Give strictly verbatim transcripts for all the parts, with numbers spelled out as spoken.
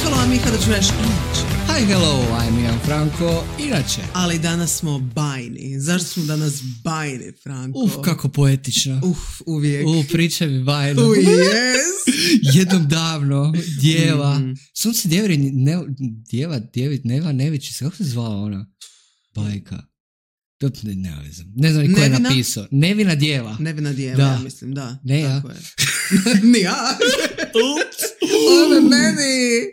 hello, I'm Miha, da ću reći inače. Hi, hello, I'm Ian Franko, inače. Ali danas smo bajni. Zašto smo danas bajni, Franko? Uf, kako poetično. Uf, uvijek. Uf, pričaj mi bajno. U, yes. Jednom davno, djeva. Mm. Sunce djeveri, ne, djeva, djevit, Neva Nevići, kako se zvala ona? Bajka. Ne, ne, ne znam, ne znam ni ko je Nevina? napisao. Nevina djeva. Nevina djeva, Da. ja mislim, da. Ne ja. Tako je. Ni ja. Ove meni.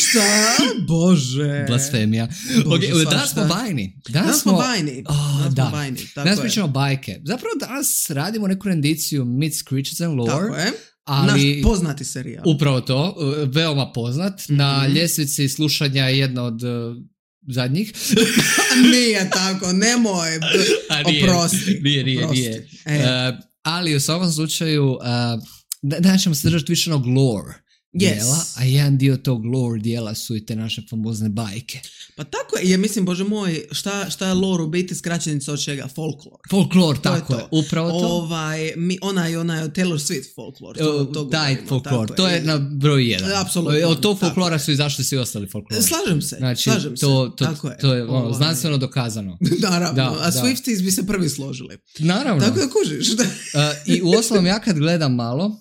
Šta? Bože. Blasfemija. Bože, Okay, danas svašta. smo bajni. Danas smo bajni. Oh, Danas da. smo bajni. Tako Danas je. pričamo bajke. Zapravo danas radimo neku rendiciju Myths, Creatures and Lore. Tako je. Ali Naš poznati serijal. upravo to, veoma poznat. Mm-hmm. Na ljestvici slušanja je jedna od uh, zadnjih. Nije tako, nemoj. A nije, Oprosti. Nije, nije, Oprosti. nije. E. Uh, ali u svakom slučaju, uh, da, danas ćemo se držati više onog lore Yes. dijela, a jedan dio tog lore dijela su i te naše famozne bajke. Pa tako je, ja mislim, Bože moj, šta, šta je lore u biti skraćenica od čega? Folklor. Folklor, To tako je je, to. upravo to. Ovaj, mi, onaj, onaj Taylor Swift folklor. To, to Taj govorimo, folklor, tako to je na broj jedan. Apsolutno, Od tog tako folklora je. su izašli svi ostali folklori. Slažem se, Znači, slažem se. to, to, Tako je. to je ono, Ovaj. znanstveno dokazano. Naravno, Da, a da. Swifties bi se prvi složili. Naravno. Tako da kužiš. Da. Uh, I u osnovom ja kad gledam malo, uh,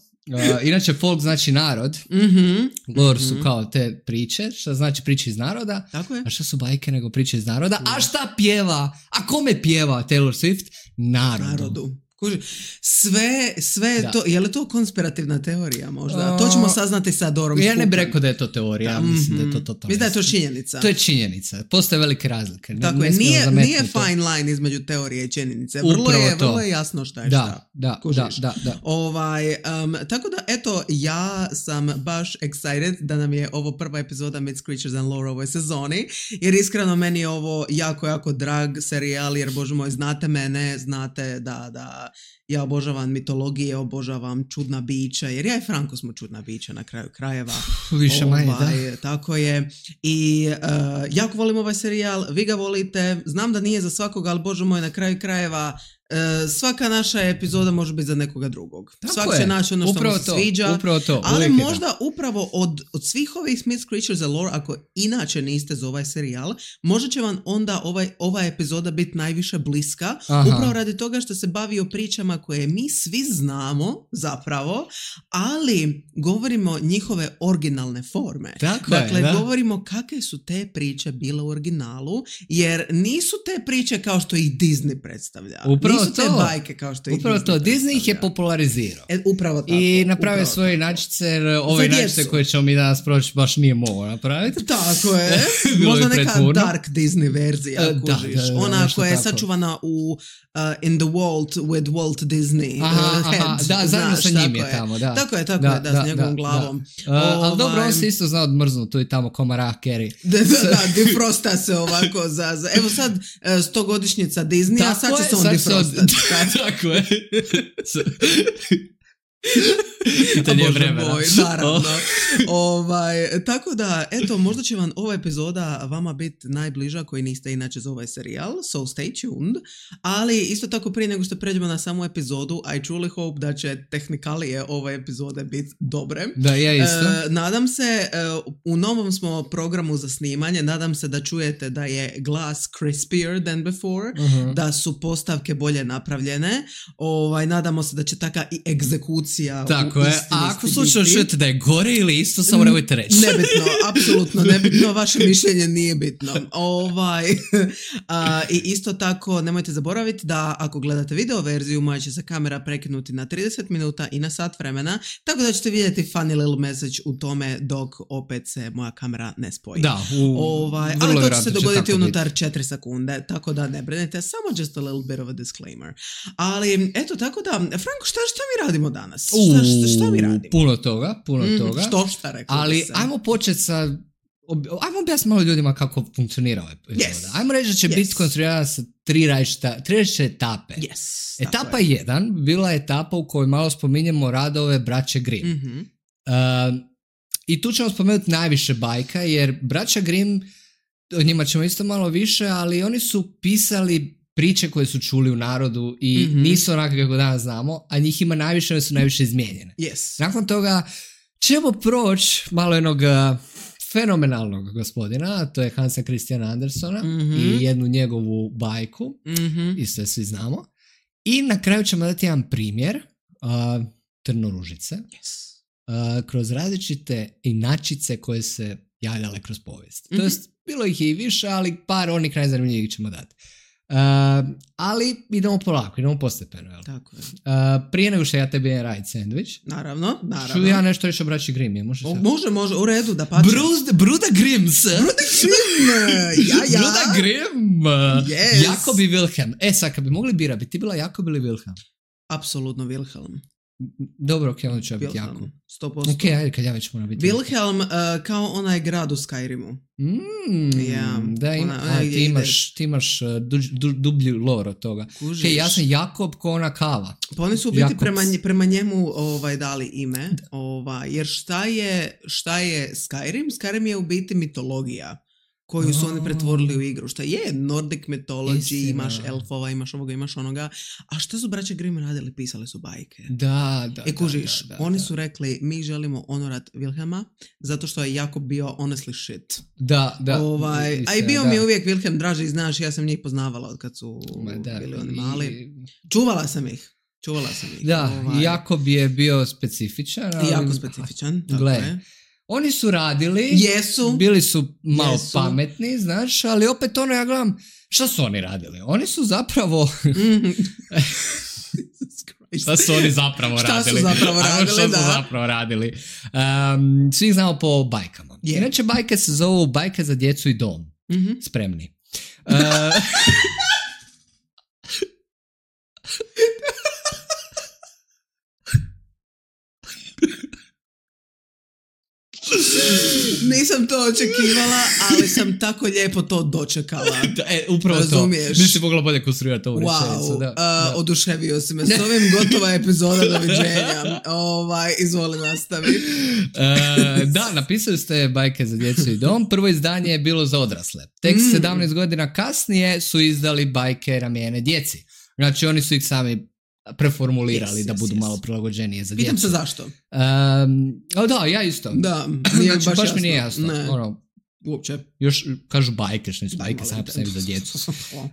inače folk znači narod, Mm-hmm. lore su kao te priče, što znači priče iz naroda, Tako je. a što su bajke nego priče iz naroda, a šta pjeva, a kome pjeva Taylor Swift? Narodu. Narodu. Kuži, sve, sve je Da. to, je li to konspirativna teorija možda? O, to ćemo saznati sa Dorom Ja ne bih Skupom. rekao da je to teorija, ja mislim da je to totalno. Mislim da je to činjenica. To je činjenica, postoje velike razlike. Ne- Tako ne je, smijemo nije, zametnuti nije to. fine line između teorije i činjenice. Vrlo Upravo je, to. vrlo je jasno šta je Da, šta. da, Kužiš? da, da, da. Ovaj, um, tako da, eto, ja sam baš excited da nam je ovo prva epizoda Myths, Creatures and Lore u ovoj sezoni, jer iskreno meni je ovo jako, jako drag serijal, jer, Bože moj, znate mene, znate da, da ja obožavam mitologije, obožavam čudna bića, jer ja i Franko smo čudna bića na kraju krajeva. Više manje, da. Ovaj, tako je. I uh, jako volim ovaj serijal, vi ga volite, znam da nije za svakoga, ali Bože moj, na kraju krajeva uh, svaka naša epizoda može biti za nekoga drugog. Tako Svak je. će naći ono što Upravo mu se to, sviđa. upravo to, Ali uvijek je možda upravo od, od svih ovih Myths, Creatures and Lore, ako inače niste za ovaj serijal, možda će vam onda ovaj, ova epizoda biti najviše bliska, Aha. upravo radi toga što se bavi o pričama koje mi svi znamo zapravo, ali govorimo njihove originalne forme. Tako je, dakle, da. govorimo kakve su te priče bile u originalu, jer nisu te priče kao što ih Disney predstavlja. Upravo nisu te to. bajke kao što ih Upravo Disney to, Disney ih je predstavlja. popularizirao. E, upravo tako. I napravio upravo svoje tako. inačice, jer ove Za inačice djecu. koje ćemo mi danas proći baš nije mogao napraviti. Tako je. Bilo Možda bi neka pretvorno. dark Disney verzija, E, da, kužiš. da, da, Ona nešto koja je tako. sačuvana u uh, In the Vault with Walt Disney. Aha, uh, aha, head, da, zajedno znaš, sa njim tako je tamo, da. Tako je, tako Da, je, da, da, s njegovom da, glavom. Uh, ali dobro, Ovaj, on se isto zna odmrznuti tu i tamo ko Mariah Carey. Da, da, da, defrosta se ovako za, za... Evo sad uh, stogodišnjica Disneya, a sad će je, se on sad se on- defrostati. Tako je. Pitanje je Bože vremena. moj, naravno. ovaj, tako da, eto, možda će vam ova epizoda vama biti najbliža koji niste inače za ovaj serijal, so stay tuned. Ali isto tako prije nego što pređemo na samu epizodu, I truly hope da će tehnikalije ove epizode biti dobre. Da, ja isto. E, nadam se, e, u novom smo programu za snimanje, nadam se da čujete da je glas crispier than before, Uh-huh. da su postavke bolje napravljene. Ovaj, nadamo se da će taka i egzekucija Tako u je. istini A ako slučajno biti. čujete da je gore ili isto, samo nemojte reći. Nebitno, apsolutno nebitno, vaše mišljenje nije bitno. Ovaj, a, I isto tako nemojte zaboraviti da ako gledate video verziju, moja će se kamera prekinuti na trideset minuta i na sat vremena, tako da ćete vidjeti funny little message u tome dok opet se moja kamera ne spoji. Da, u, Ovaj, vrlo ali to će vjerojatno se će dogoditi tako unutar četiri sekunde, tako da ne brinete, samo just a little bit of a disclaimer. Ali, eto, tako da, Franko, šta, šta mi radimo danas? Šta, šta, šta mi radimo? Puno toga, puno Mm, toga. Što šta rekao Ali bi se. ajmo početi sa... ob- Ajmo objasniti malo ljudima kako funkcionira ova epizoda. Yes. Ajmo reći da će Yes. biti konstruirana sa tri različita, tri različite etape. Yes, Etapa tako je. jedan bila je etapa u kojoj malo spominjemo radove braće Grimm. Mhm. Uh, I tu ćemo spomenuti najviše bajka, jer braća Grimm, o njima ćemo isto malo više, ali oni su pisali priče koje su čuli u narodu i Mhm. nisu onako kako danas znamo, a njih ima najviše, one su najviše izmijenjene. Yes. Nakon toga ćemo proći malo jednog uh, fenomenalnog gospodina, to je Hansa Christiana Andersena mm-hmm. i jednu njegovu bajku, mm-hmm. i sve svi znamo. I na kraju ćemo dati jedan primjer uh, Trnoružice, Yes. uh, kroz različite inačice koje se javljale kroz povijest. Mm-hmm. To jest, bilo ih je i više, ali par onih najzanimljivijih ćemo dati. Uh, ali idemo polako, idemo postepeno. Jel? Tako je. Uh, prije nego što ja tebi je raditi sandvič, Naravno, naravno. ću ja nešto reći o braći Grimm. Je, može, o, može, može, u redu, da pače. Bruz, Bruda Grimms. Bruda Grimm, ja, ja. Bruda Grimm. Yes. Jakob i Wilhelm. E, sad, kad bi mogli bira, bi ti bila Jakob ili Wilhelm? Apsolutno Wilhelm. Dobro, ok, onda ću ja biti Jakob. sto posto. Ok, ajde, kad ja već moram biti Wilhelm uh, kao onaj grad u Skyrimu. Mm, yeah. Da, ima, ona, a, ti, imaš, ti imaš uh, du, du, dublji lore od toga. Kužiš. Ok, ja sam Jakob ko ona kava. Pa oni su u biti prema, prema njemu ovaj, dali ime. Ovaj, jer šta je, šta je Skyrim? Skyrim je u biti mitologija koju su oni pretvorili u igru. Šta je Nordic mythology, Istina. imaš elfova, imaš ovoga, imaš onoga. A šta su braće Grimm radili? Pisali su bajke. Da, da. E kužiš, da, da, oni da. su rekli mi želimo honorat Wilhelma zato što je Jakob bio honestly shit. Da, da. Ovaj, istina, a i bio da. mi je uvijek Wilhelm draži, znaš, ja sam njih poznavala od kad su Da, bili oni mali. i- Čuvala sam ih. Čuvala sam ih. Da, Ovaj, Jakob je bio specifičan. Ali, I jako specifičan. Tako Gle, je. Oni su radili, Jesu. bili su malo Jesu. pametni, znaš, ali opet ono ja gledam, šta su oni radili? Oni su zapravo... Mhm. Šta su oni zapravo Šta radili? su zapravo Ajmo, radili, šta da. su zapravo radili? Um, svi ih znamo po bajkama. Je. Inače, bajke se zovu bajke za djecu i dom. Mhm. Spremni. Uh, Nisam to očekivala, ali sam tako lijepo to dočekala. e, upravo Razumiješ? to. Nisi mogla bolje konstruirati ovu rečenicu. Wow, Da, uh, da. oduševio si me. S ovim gotova epizoda, doviđenja. Ovaj, izvoli nastavi. E, da, napisali ste bajke za djecu i dom. Prvo izdanje je bilo za odrasle. Tek Mm. sedamnaest godina kasnije su izdali bajke namijenjene djeci. Znači oni su ih sami preformulirali Yes, da yes, budu yes. malo prilagođenije za Pitam djecu. se zašto. Um, o da, ja isto. Da, nije Znači, baš, baš mi nije jasno. Ne, Ono, uopće. još kažu bajke, što nisu bajke, Ali- same po sebi za djecu. Uh,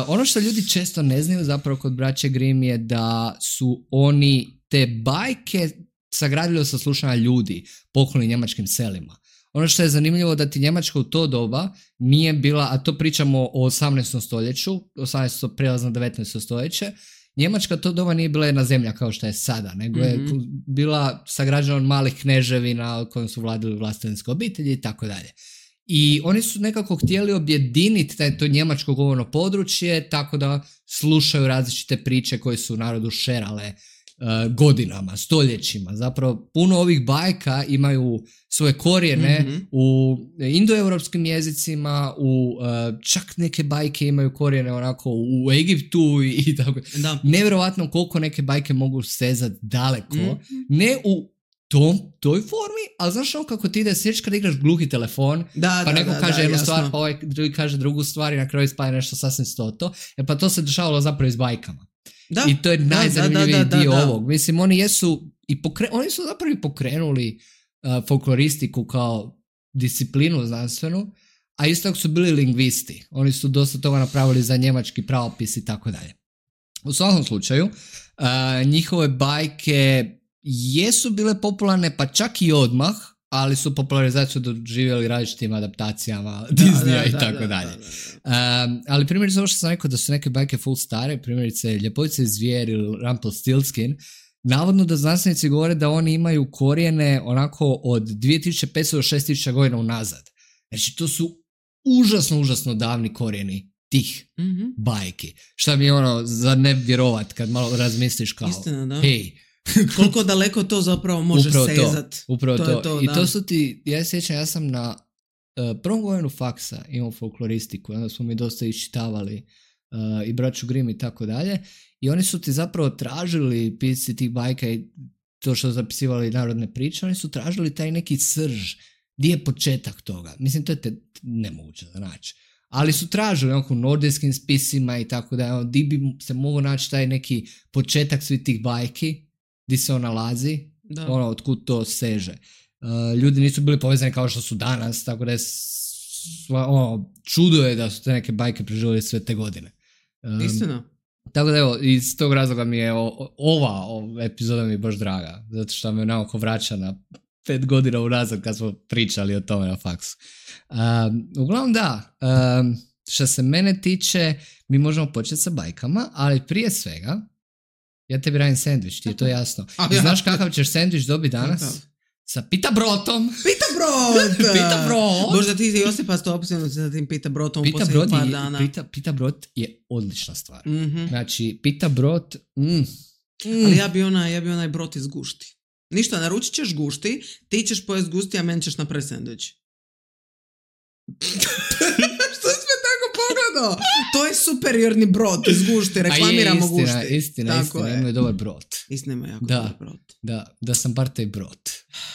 ono što ljudi često ne znaju zapravo kod braće Grimm je da su oni te bajke sagradili od saslušanja ljudi pokloni njemačkim selima. Ono što je zanimljivo da ti Njemačka u to doba nije bila, a to pričamo o osamnaestom stoljeću, osamnaesto prijelazno devetnaesto stoljeće, Njemačka to doba nije bila jedna zemlja kao što je sada, nego je Mhm. bila sagrađena od malih kneževina kojom su vladali vlastenske obitelji i tako dalje. I oni su nekako htjeli objediniti taj, to njemačko govorno područje tako da slušaju različite priče koje su narodu šerale uh, godinama, stoljećima. Zapravo puno ovih bajka imaju svoje korijene Mhm. u indoeuropskim jezicima, u uh, čak neke bajke imaju korijene onako u Egiptu i, i tako. Da. Nevjerovatno koliko neke bajke mogu stezati daleko, Mhm. ne u tom, toj formi, ali znaš ono kako ti ide sjeći kada igraš gluhi telefon, Da, pa da, neko da, kaže da, jednu jasno. stvar, pa ovaj drugi kaže drugu stvar i na kraju ispadne nešto sasvim stoto. E pa to se dešavalo zapravo i s bajkama. Da. I to je Da, najzanimljiviji da, da, da, dio da. ovog. Mislim, oni jesu i pokre, oni su zapravo i pokrenuli uh, folkloristiku kao disciplinu znanstvenu, a isto tako su bili lingvisti. Oni su dosta toga napravili za njemački pravopis i tako dalje. U svakom slučaju, uh, njihove bajke jesu bile popularne pa čak i odmah, ali su popularizaciju doživjeli različitim adaptacijama Disneya i tako dalje. Um, ali primjerice ovo što sam rekao da su neke bajke full stare, primjerice Ljepotice i zvijer ili Rumpelstiltskin, navodno da znanstvenici govore da oni imaju korijene onako od dvije tisuće petsto do šest tisuća godina unazad. Znači to su užasno, užasno davni korijeni tih Mhm. bajki. Šta mi je ono za ne vjerovat kad malo razmisliš kao Istina, da. hej, Koliko daleko to zapravo može upravo to, sezat. upravo To to. je to, I da. to su ti, ja se sjećam, ja sam na uh, prvom godinu faksa imao folkloristiku, onda smo mi dosta iščitavali uh, i braću Grimm i tako dalje, i oni su ti zapravo tražili pisci tih bajka i to što su zapisivali narodne priče, oni su tražili taj neki srž, gdje je početak toga. Mislim, to je te nemoguće da naći. Ali su tražili onako u nordijskim spisima i tako da, ono, di bi se mogo naći taj neki početak svih tih bajki, di se on nalazi, Da. ono, otkud to seže. Uh, ljudi nisu bili povezani kao što su danas, tako da je sva, ono, čudo je da su te neke bajke preživjeli sve te godine. Um, Istina. Tako da evo, iz tog razloga mi je o, ova, ova epizoda mi je baš draga, zato što me naoko vraća na pet godina unazad kad smo pričali o tome na faksu. Um, uglavnom da, um, što se mene tiče, mi možemo početi sa bajkama, ali prije svega, ja tebi radim sendvič, ti je to jasno. I znaš kakav ćeš sendvič dobiti danas? Sa pita brotom. Pita brot! Pita brot! Možda ti si Josipa stopstveno sa tim pita brotom u pita posljednjih par je, dana. Pita, pita brot je odlična stvar. Mm-hmm. Znači, pita brot... Mm, mm. Ali ja bi, onaj, ja bi onaj brot iz gušti. Ništa, naručit ćeš gušti, ti ćeš pojest gusti, a meni ćeš napraviti sendvič. Što si me tako pogledao? To je superiorni brod iz gušti, reklamiramo gušti. A je, istina, istina, tako istina, je. imaju dobar brod. Istina, ima jako da, dobar brod. Da, da sam bar taj brod.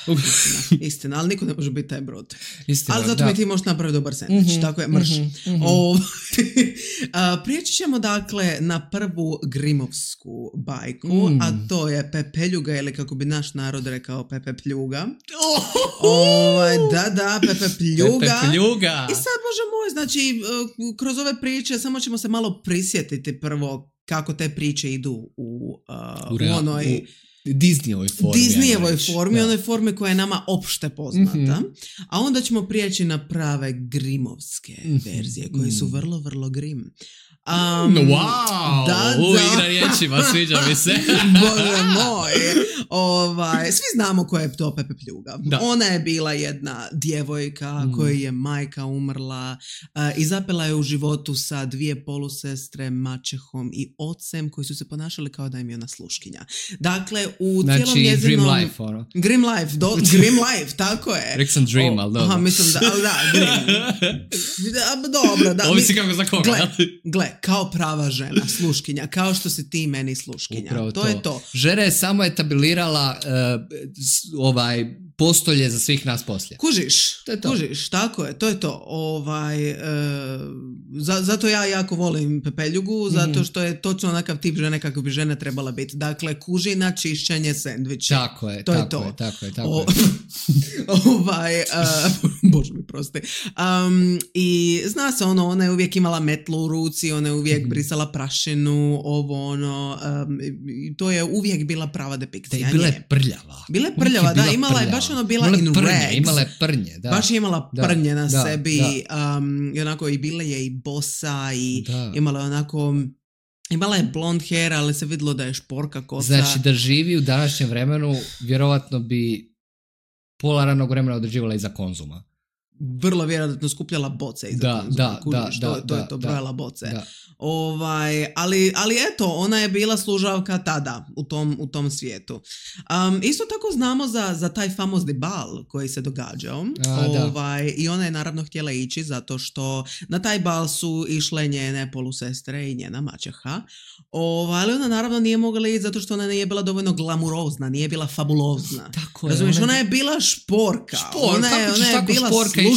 Istina, istina, ali niko ne može biti taj brod. Istina, ali zato da. mi ti možeš napraviti dobar sendvič, mm-hmm, tako je, mrš. Mm-hmm. O, a, prijeći ćemo dakle na prvu grimovsku bajku, mm. a to je Pepeljuga, ili kako bi naš narod rekao Pepe Pljuga. Oh! Ovaj, da, da, Pepe Pljuga. Pepe Pljuga. I sad, Bože moj, znači, kroz ove priče samo ćemo se malo prisjetiti prvo kako te priče idu u, uh, u, u onoj... U... Disneyovoj formi. Disneyovoj formi, onoj formi koja je nama opšte poznata. Mm-hmm. A onda ćemo prijeći na prave grimovske mm-hmm. verzije, koje su vrlo, vrlo grim. Um, wow! Da, U, da. igra riječima, sviđa mi se. Bože moj. Ovaj, svi znamo koja je to Pepe Pljuga. Da. Ona je bila jedna djevojka mm. kojoj je majka umrla uh, i zapela je u životu sa dvije polusestre, maćehom i ocem koji su se ponašali kao da im je ona sluškinja. Dakle, u znači, cijelom njezinom... Grim Life, ono. Grim Life, do, Grim Life, tako je. Rekao sam Dream, o, ali dobro. Aha, mislim da, ali da, Grim. Da, dobro, da. Ovisi kako za koga. Gle, gle, kao prava žena, sluškinja, kao što si ti meni sluškinja. Upravo to, to je to. Žena je samo etablirala uh, ovaj postolje za svih nas poslije. Kužiš, to je to. Kužiš, tako je, to je to. Ovaj, uh, za, zato ja jako volim Pepeljugu, mm-hmm. zato što je točno onakav tip žene kako bi žena trebala biti. Dakle, kužina, čišćenje, sendviče. Tako je, to tako je to. Je, tako je, tako o, je. ovaj, uh, Bože mi prosti. Um, I zna se ono, ona je uvijek imala metlu u ruci, ona je uvijek mm-hmm. brisala prašinu, ovo ono, um, i to je uvijek bila prava depikcija. Da, i bila je prljava. Bila je prljava, da, imala je baš ono bila in prnje, rags. Imala je prnje, da. Baš je imala da, prnje na da, sebi da. Um, i onako i bila je i bosa i da. Imala je onako, imala je blond hair, ali se vidjelo da je šporka kosa. Znači da živi u današnjem vremenu, vjerovatno bi pola ranog vremena određivala iza Konzuma. Vrlo vjerojatno skupljala boce iza da, Konzuma. Da, Kužiš, da, to, da, to je to, da, brojala boce. Da. Ovaj, ali, ali eto, ona je bila služavka tada u tom, u tom svijetu. Um, isto tako znamo za, za taj famozni bal koji se događao. A, ovaj, I ona je naravno htjela ići zato što na taj bal su išle njene polusestre i njena maćeha. Ovaj, ali ona naravno nije mogla ići zato što ona nije bila dovoljno glamurozna, nije bila fabulozna. Tako je. Razumiješ, ona, ona je bila šporka. Špor, ona je, ona je bila sluškinja.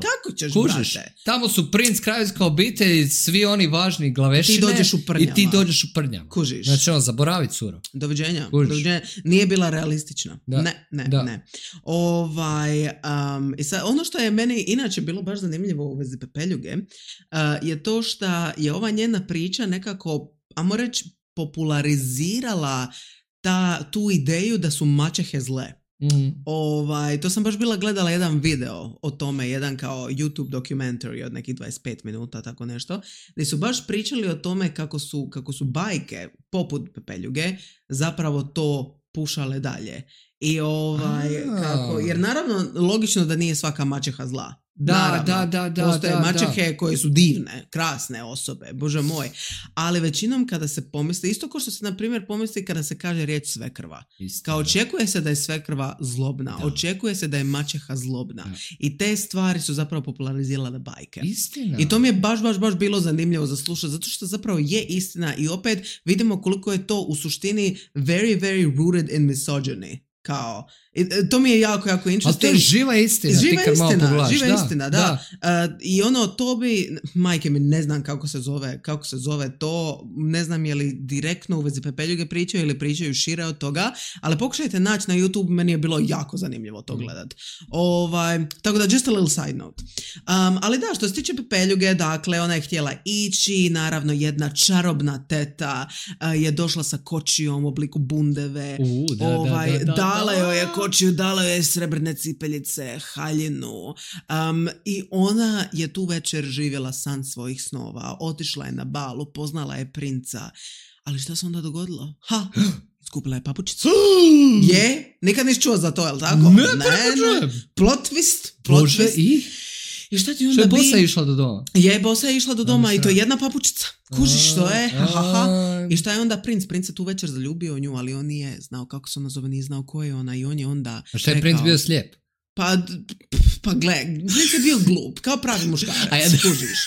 Kako ćeš, Kužiš, brate? tamo su princ, kraljevska obitelj, svi oni važni glavešine. Ti dođeš u prnjama. I ti dođeš u prnjama. Kužiš. Znači on, zaboravi curo. Doviđenja. Doviđenja. Nije bila realistična. Da. Ne, ne, da. ne. Ovaj, um, i sad, ono što je meni inače bilo baš zanimljivo u vezi Pepeljuge uh, je to što je ova njena priča nekako, ajmo reći, popularizirala ta, tu ideju da su maćehe zle. Mm. Ovaj, to sam baš bila gledala jedan video o tome, jedan kao YouTube documentary od nekih dvadeset pet minuta, tako nešto, gdje su baš pričali o tome kako su, kako su bajke poput Pepeljuge zapravo to pušale dalje. I ovaj, kako, jer naravno logično da nije svaka maćeha zla. Da, naravno, da, da, da. postoje da, maćehe da. koje su divne, krasne osobe, bože moj. Ali većinom kada se pomisli, isto kao što se na primjer pomisli kada se kaže riječ svekrva. Isto, kao očekuje se da je svekrva zlobna, da. Očekuje se da je maćeha zlobna. Da. I te stvari su zapravo popularizirale bajke. Istina. I to mi je baš, baš, baš bilo zanimljivo za slušati, zato što zapravo je istina i opet vidimo koliko je to u suštini very, very rooted in misogyny. Kao, I, to mi je jako, jako interesting. Ali to je živa istina. Živa ti kad malo istina, pogledaš. živa da, istina, da. da. Uh, I ono, to bi, majke mi, ne znam kako se zove, kako se zove to, ne znam je li direktno u vezi pepeljuge pričaju ili pričaju šire od toga, ali pokušajte naći na YouTube, meni je bilo jako zanimljivo to gledat. Ovaj, tako da, just a little side note. Um, ali da, što se tiče pepeljuge, dakle, ona je htjela ići, naravno jedna čarobna teta uh, je došla sa kočijom u obliku bundeve, uh, da, ovaj, da, da, da, dala da. joj je kočiju, dala joj je srebrne cipeljice, haljinu um, i ona je tu večer živjela san svojih snova, otišla je na bal, upoznala je princa, ali šta se onda dogodilo? Ha! Skupila je papučicu. Je? Nikad nisi čuo za to, je li tako? Ne, ne, ne. Plot twist. Plot Bože, twist. i? I šta ti onda Što je bi? bosa išla do doma? Je, bosa je išla do doma Aha. i to je jedna papučica. Kužiš što je? Ha, ha, ha. A, I šta je onda princ? Princ se tu večer zaljubio u nju, ali on nije znao kako se ona zove, nije znao ko je ona i on je onda A šta je rekao, princ bio slijep? Pa, pa gle, princ je bio glup, kao pravi muškarac, A ja- kužiš.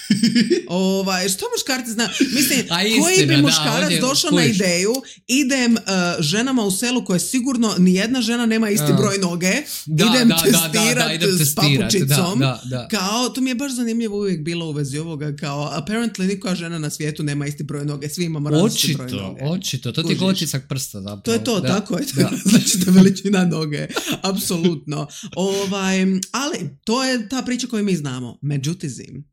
Ovaj, što muškarci zna? Mislim, A koji istina, bi da, muškarac on je- došao na kužiš. ideju, idem uh, ženama u selu koje sigurno nijedna žena nema isti A. broj noge, Da, idem da, da, da, testirat da, idem s testirat, papučicom. da, da, da. Kao, to mi je baš zanimljivo uvijek bilo u vezi ovoga, kao, apparently nikoja žena na svijetu nema isti broj noge, svi imamo različiti broj Očito, noge. očito. To ti Kužiš. je otisak prsta zapravo. To je to, da. tako je. Da. Znači to je veličina noge. Apsolutno. Ovaj, ali to je ta priča koju mi znamo. Međutim,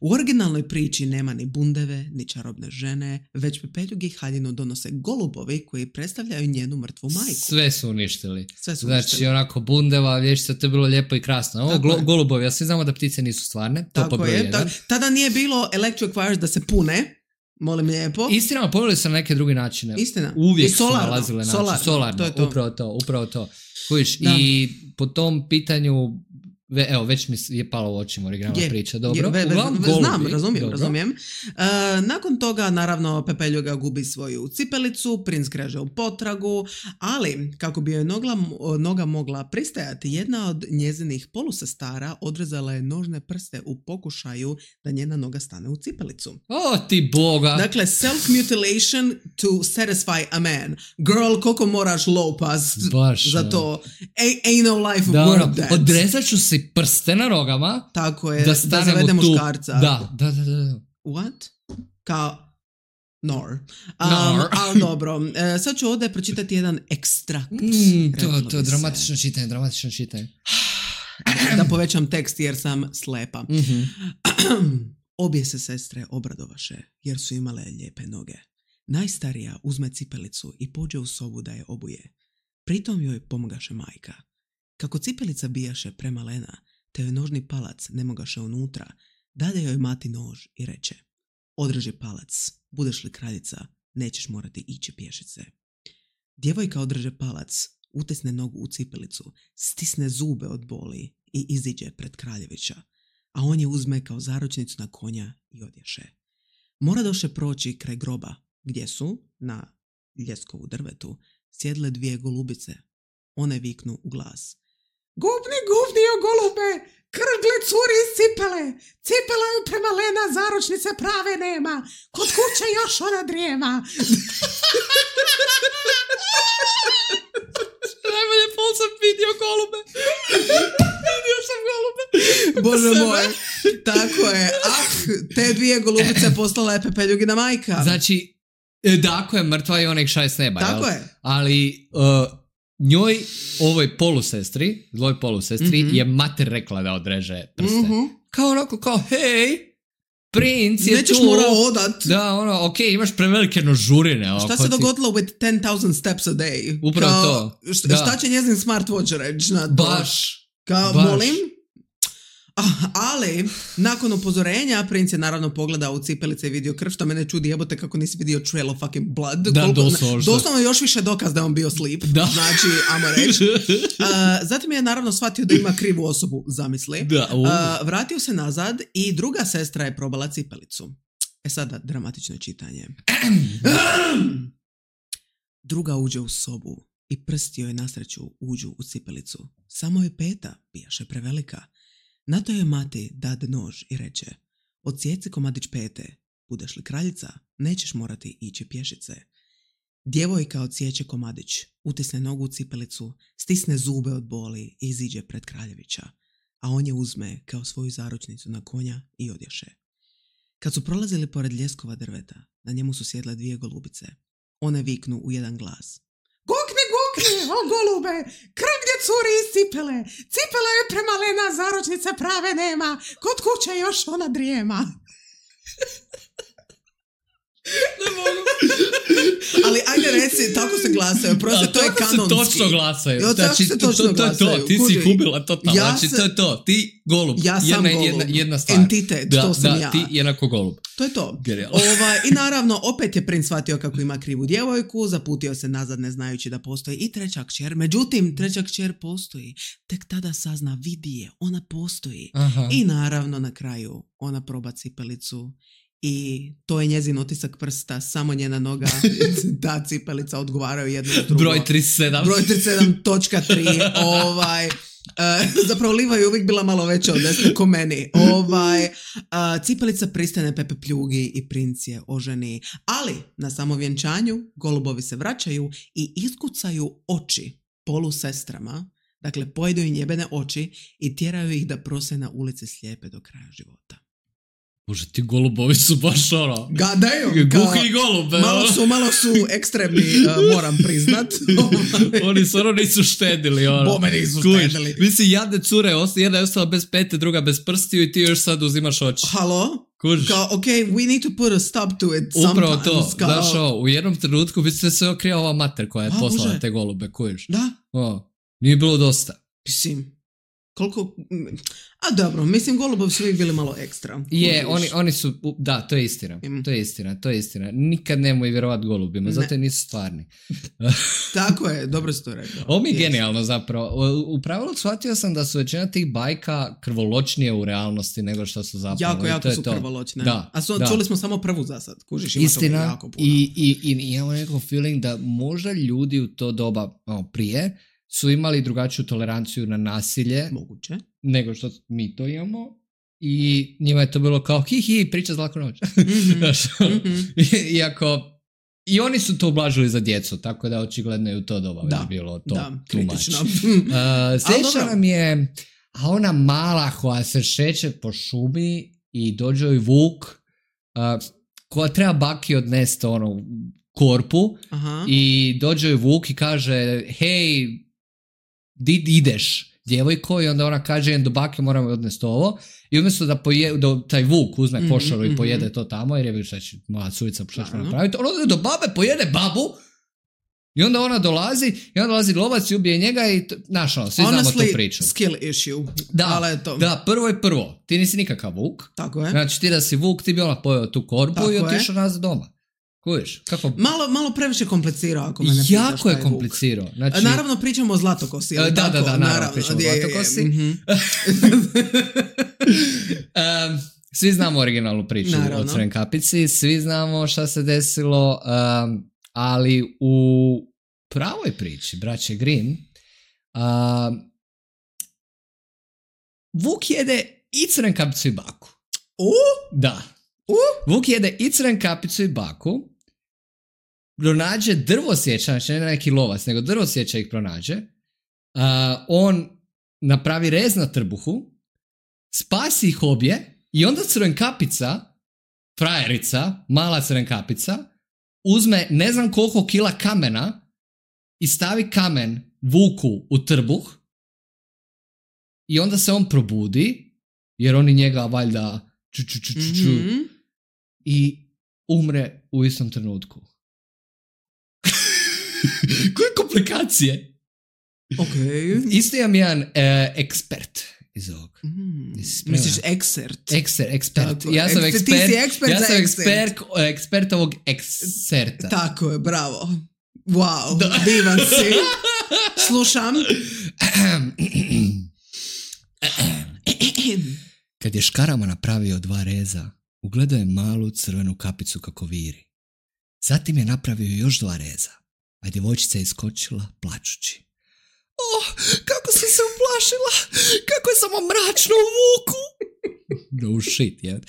u originalnoj priči nema ni bundeve, ni čarobne žene, već pepeljugi i haljinu donose golubovi koji predstavljaju njenu mrtvu majku. Sve su uništili. Sve su Znači, uništili. onako bundeva, vječica, to je bilo lijepo i krasno. Ovo Tako glo, je. golubovi, ja svi znamo da ptice nisu stvarne. To po Tako broj je. jedan. Ta, tada nije bilo electric wires da se pune. Molim lijepo. Istina, poveli se na neke druge načine. Istina. Uvijek I solarno, su nalazile način. solarno, Solarno, to je to. upravo to, upravo to. Kužiš, Da. i po tom pitanju, ve, evo, već mi je palo u očima originalna Je, priča, dobro. je, ve- ve- Uglavnom, ve- znam, golubi, razumijem, dobro. razumijem. E, nakon toga, naravno, Pepeljuga gubi svoju cipelicu, princ kreže u potragu, ali kako bi joj nogla, noga mogla pristajati, jedna od njezinih polusestara odrezala je nožne prste u pokušaju da njena noga stane u cipelicu. O, ti boga. Dakle, self-mutilation to satisfy a man. Girl, koliko moraš lopas Baš, za ono. to? A- ain't no life Da, worth ono, that. odrezat ću si prste na rogama Tako je, da da, stanem zavede u tu... muškarca. Da, da, da, da. What? Kao... Nor. Um, Nor. ali dobro, e, sad ću ovdje pročitati jedan ekstrakt. Mm, to, reklo to, bi se. dramatično čitanje, dramatično čitanje. Da povećam tekst jer sam slepa. Mhm. Obje se sestre obradovaše jer su imale lijepe noge. Najstarija uzme cipelicu i pođe u sobu da je obuje. Pritom joj pomogaše majka. Kako cipelica bijaše premalena, te joj nožni palac ne mogaše unutra, dade joj mati nož i reče: održi palac, budeš li kraljica, nećeš morati ići pješice. Djevojka održe palac, utisne nogu u cipelicu, stisne zube od boli i iziđe pred kraljevića, a on je uzme kao zaručnicu na konja i odješe. Mora doše proći kraj groba, gdje su, na ljeskovu drvetu, sjedle dvije golubice. One viknu u glas: gubni, gubni o golube, krgle curi iz cipele, cipela je premalena, zaručnice prave nema, kod kuće još ona drijema. Najbolje pol sam vidio golube. Vidio sam golube. Bože moj, tako je. Ah, te dvije golubice poslala je Pepeljugina majka. Znači, e, Dako je mrtva i ona ih šaje s neba, Tako jel? je. Ali uh, njoj, ovoj polusestri, dvoj polusestri, Mhm. je mater rekla da odreže prste. Mhm. Kao onako, kao, hej, princ je Nećeš tu. morao odat. Da, ono, okej, imaš prevelike nožurine. ono, Šta ko se ti- dogodilo with ten thousand steps a day? Upravo Kao, to, Šta, da. šta će njezin smartwatch reći na to? Baš. Kao, baš. molim? Ah, ali, nakon upozorenja, princ je naravno pogledao u cipelice i vidio krv, što mene čudi, jebote kako nisi vidio trail of fucking blood. Da, Koliko- doslovno. Doslovno još više dokaz da je on bio sleep. Da. Znači, ajmo reći. Uh, zatim je naravno shvatio da ima krivu osobu, zamisli. Da, u. Uh, vratio se nazad i druga sestra je probala cipelicu. E sada, dramatično čitanje. Druga uđe u sobu i prsti joj nasreću uđu u cipelicu. Samo je peta bijaše prevelika. Na to je mati dade nož i reče: odsjeci komadić pete, budeš li kraljica, nećeš morati ići pješice. Djevojka odsječe komadić, utisne nogu u cipelicu, stisne zube od boli i iziđe pred kraljevića, a on je uzme kao svoju zaručnicu na konja i odješe. Kad su prolazili pored ljeskova drveta, na njemu su sjedle dvije golubice. One viknu u jedan glas. Gukni, gukni, o golube, krv gdje curi iz cipele. Cipela je premalena, zaručnice prave nema, kod kuće još ona drijema. Ne mogu. Ali ajde reci, tako se glasaju, prosto da, to je kanonski. Se točno glasaju. Jo, znači, se točno to, to, to, to, ti Kuži. si gubila totalno. Ja znači, se, to je to. Ti golub. Ja sam jedna, golub. Jedna, jedna stvar. Entitet, da, to sam da, ja. ti jednako golub. To je to. Genial. Ova, I naravno, opet je princ shvatio kako ima krivu djevojku, zaputio se nazad ne znajući da postoji i treća kćer. Međutim, treća kćer postoji. Tek tada sazna, vidi je, ona postoji. Aha. I naravno, na kraju, ona proba cipelicu. I to je njezin otisak prsta, samo njena noga, ta cipelica odgovaraju jedno od drugo. Broj trideset sedam. Broj trideset sedam točka tri. Ovaj, uh, zapravo Liva je uvijek bila malo veća od desne ko meni. Ovaj, uh, cipelica pristane Pepe Pljugi i princ je oženi. Ali na samovjenčanju golubovi se vraćaju i iskucaju oči polusestrama. Dakle, pojedu im njebene oči i tjeraju ih da prose na ulici slijepe do kraja života. Bože, ti golubovi su baš ono... Gadaju. Guhi i golube. Malo su, malo su ekstremni, uh, moram priznat. Oni su ono nisu štedili. Ono. Bome nisu Kuš, štedili. Mislim, jadne cure, jedna je ostala bez pete, druga bez prstiju i ti još sad uzimaš oči. Halo? Kuš. Kao, ok, we need to put a stop to it sometimes. Upravo to. Kao... Znaš, o, u jednom trenutku bi se sve okrija ova mater koja je A, poslala Bože. te golube, kuš. Da? O, nije bilo dosta. Mislim, koliko... A dobro, mislim, golubovi su uvijek bili malo ekstra. Je, Kužiš. oni, oni su, da, to je istina, Mm. to je istina, to je istina. Nikad nemoj vjerovat golubima, zato jer nisu stvarni. Tako je, dobro si to rekao. Ovo mi je Yes. genijalno zapravo. U, u pravilu shvatio sam da su većina tih bajka krvoločnije u realnosti nego što su zapravo. Jako, I jako to je su to. krvoločne. Da, A su, da. čuli smo samo prvu za sad, kužiš, ima toga Istina, jako puno. i, i, i imamo neko feeling da možda ljudi u to doba ono, prije su imali drugačiju toleranciju na nasilje Moguće. nego što mi to imamo i njima je to bilo kao hi hi priča za laku noć. Mm-hmm. Znaš, Mm-hmm. iako i oni su to ublažili za djecu, tako da očigledno je u to doba Da, već bilo to da, too much. kritično. Uh, sljedeća dobro. nam je a ona mala koja se šeće po šumi i dođe joj vuk uh, koja treba baki odnesti ono korpu Aha. i dođe joj vuk i kaže hej, di ideš djevojko, i onda ona kaže do bake moram odnesti ovo i umjesto da, poje, da taj vuk uzme Mhm, košaru mhm. i pojede to tamo jer je vidiš šta će moja curica šta će Naravno. napraviti, ona ode do babe, pojede babu i onda ona dolazi i onda dolazi lovac i ubije njega i t- znaš ono, svi znamo tu Honestly, priču. skill issue. Da, Ali je to. da, prvo je prvo, ti nisi nikakav vuk, Tako je. znači ti da si vuk ti bi ona pojeo tu korpu Tako i je. otišao nazad doma. Kuviš, kako... Malo, malo previše komplicirao, ako me ne pitaš Jako šta je vuk. komplicirao. Znači, Naravno pričamo o zlatokosi. Da, ali da, tako? da, naravno, pričamo o je, je, je. zlatokosi. Mhm. um, svi znamo originalnu priču Naravno. o Crvenoj kapici, svi znamo šta se desilo, um, ali u pravoj priči, braće Grimm, um, Vuk jede i Crvenu kapicu i baku. U? Da. U? Vuk jede i Crvenu kapicu i baku, pronađe drvosjeća, znači ne neki lovac, nego drvosjeća ih pronađe, uh, on napravi rez na trbuhu, spasi ih obje i onda Crvena kapica, frajerica, mala Crvena kapica, uzme ne znam koliko kila kamena i stavi kamen Vuku u trbuh i onda se on probudi, jer oni njega valjda ču, ču, ču, ču, ču, Mhm. i umre u istom trenutku. Koje komplikacije? Ok. Isto imam jedan e, ekspert iz ovog. Mm. Jesi spreman? Misliš eksert? Ekser, ekspert. Tako, Ja sam eks- ti ekspert, si ekspert ja za sam eksert. ekspert, ekspert ovog ekserta. Tako je, bravo. Wow, Da. divan si. Slušam. Kad je škarama napravio dva reza, ugledao je malu crvenu kapicu kako viri. Zatim je napravio još dva reza, a djevojčica je iskočila plačući. Oh, kako sam se uplašila! Kako je samo mračno u Vuku! No shit, je.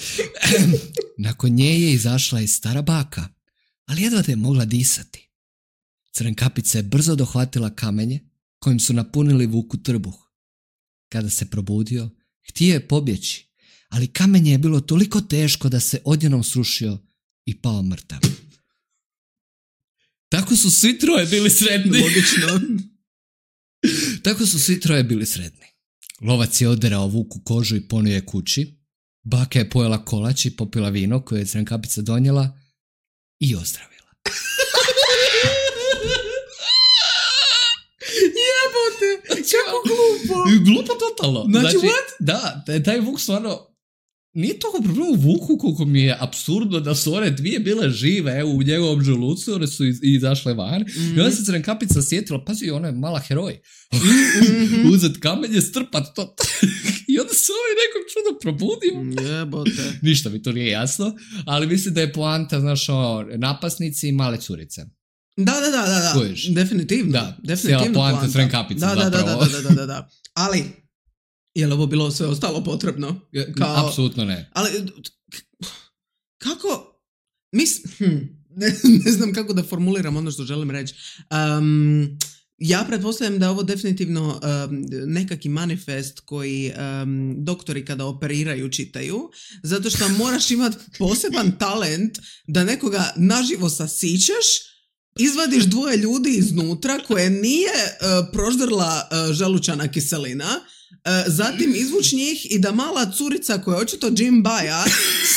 Nakon nje je izašla i stara baka, ali jedva da je mogla disati. Crvenkapica je brzo dohvatila kamenje kojim su napunili Vuku trbuh. Kada se probudio, htio je pobjeći, ali kamenje je bilo toliko teško da se odjednom srušio i pao mrtav. Tako su svi troje bili sretni. Logično. Tako su svi troje bili sretni. Lovac je oderao Vuku kožu i ponio je kući. Baka je pojela kolač i popila vino koje je Crvenkapica donijela i ozdravila. Jebote, kako glupo. Glupo totalno. Znači, what? Da, taj Vuk stvarno nije toliko problem u Vuku koliko mi je apsurdno da su one dvije bile žive evo, u njegovom želucu, one su iz, izašle van mm-hmm. i onda se Crvenkapica sjetila, pazi, ona je mala heroj. Mm-hmm. Uzet kamenje, strpat to. I onda se ovaj nekog čudo probudio. Jebote. Ništa mi to nije jasno, ali mislim da je poanta, znaš, o napasnici i male curice. Da, da, da, da, da. Kojiš? Definitivno. Da, definitivno cijela poanta Crvenkapice da, da, zapravo. da, da, da, da, da. Ali, je li ovo bilo sve ostalo potrebno? Kao... Apsolutno ne. Ali, kako, mis, hm, ne, ne znam kako da formuliram ono što želim reći. Um, ja pretpostavljam da je ovo definitivno um, nekaki manifest koji um, doktori kada operiraju čitaju, zato što moraš imati poseban talent da nekoga naživo sasićeš, izvadiš dvoje ljudi iznutra koje nije uh, proždrla uh, želučana kiselina, uh, zatim izvuč njih i da mala curica koja je očito Jim Baja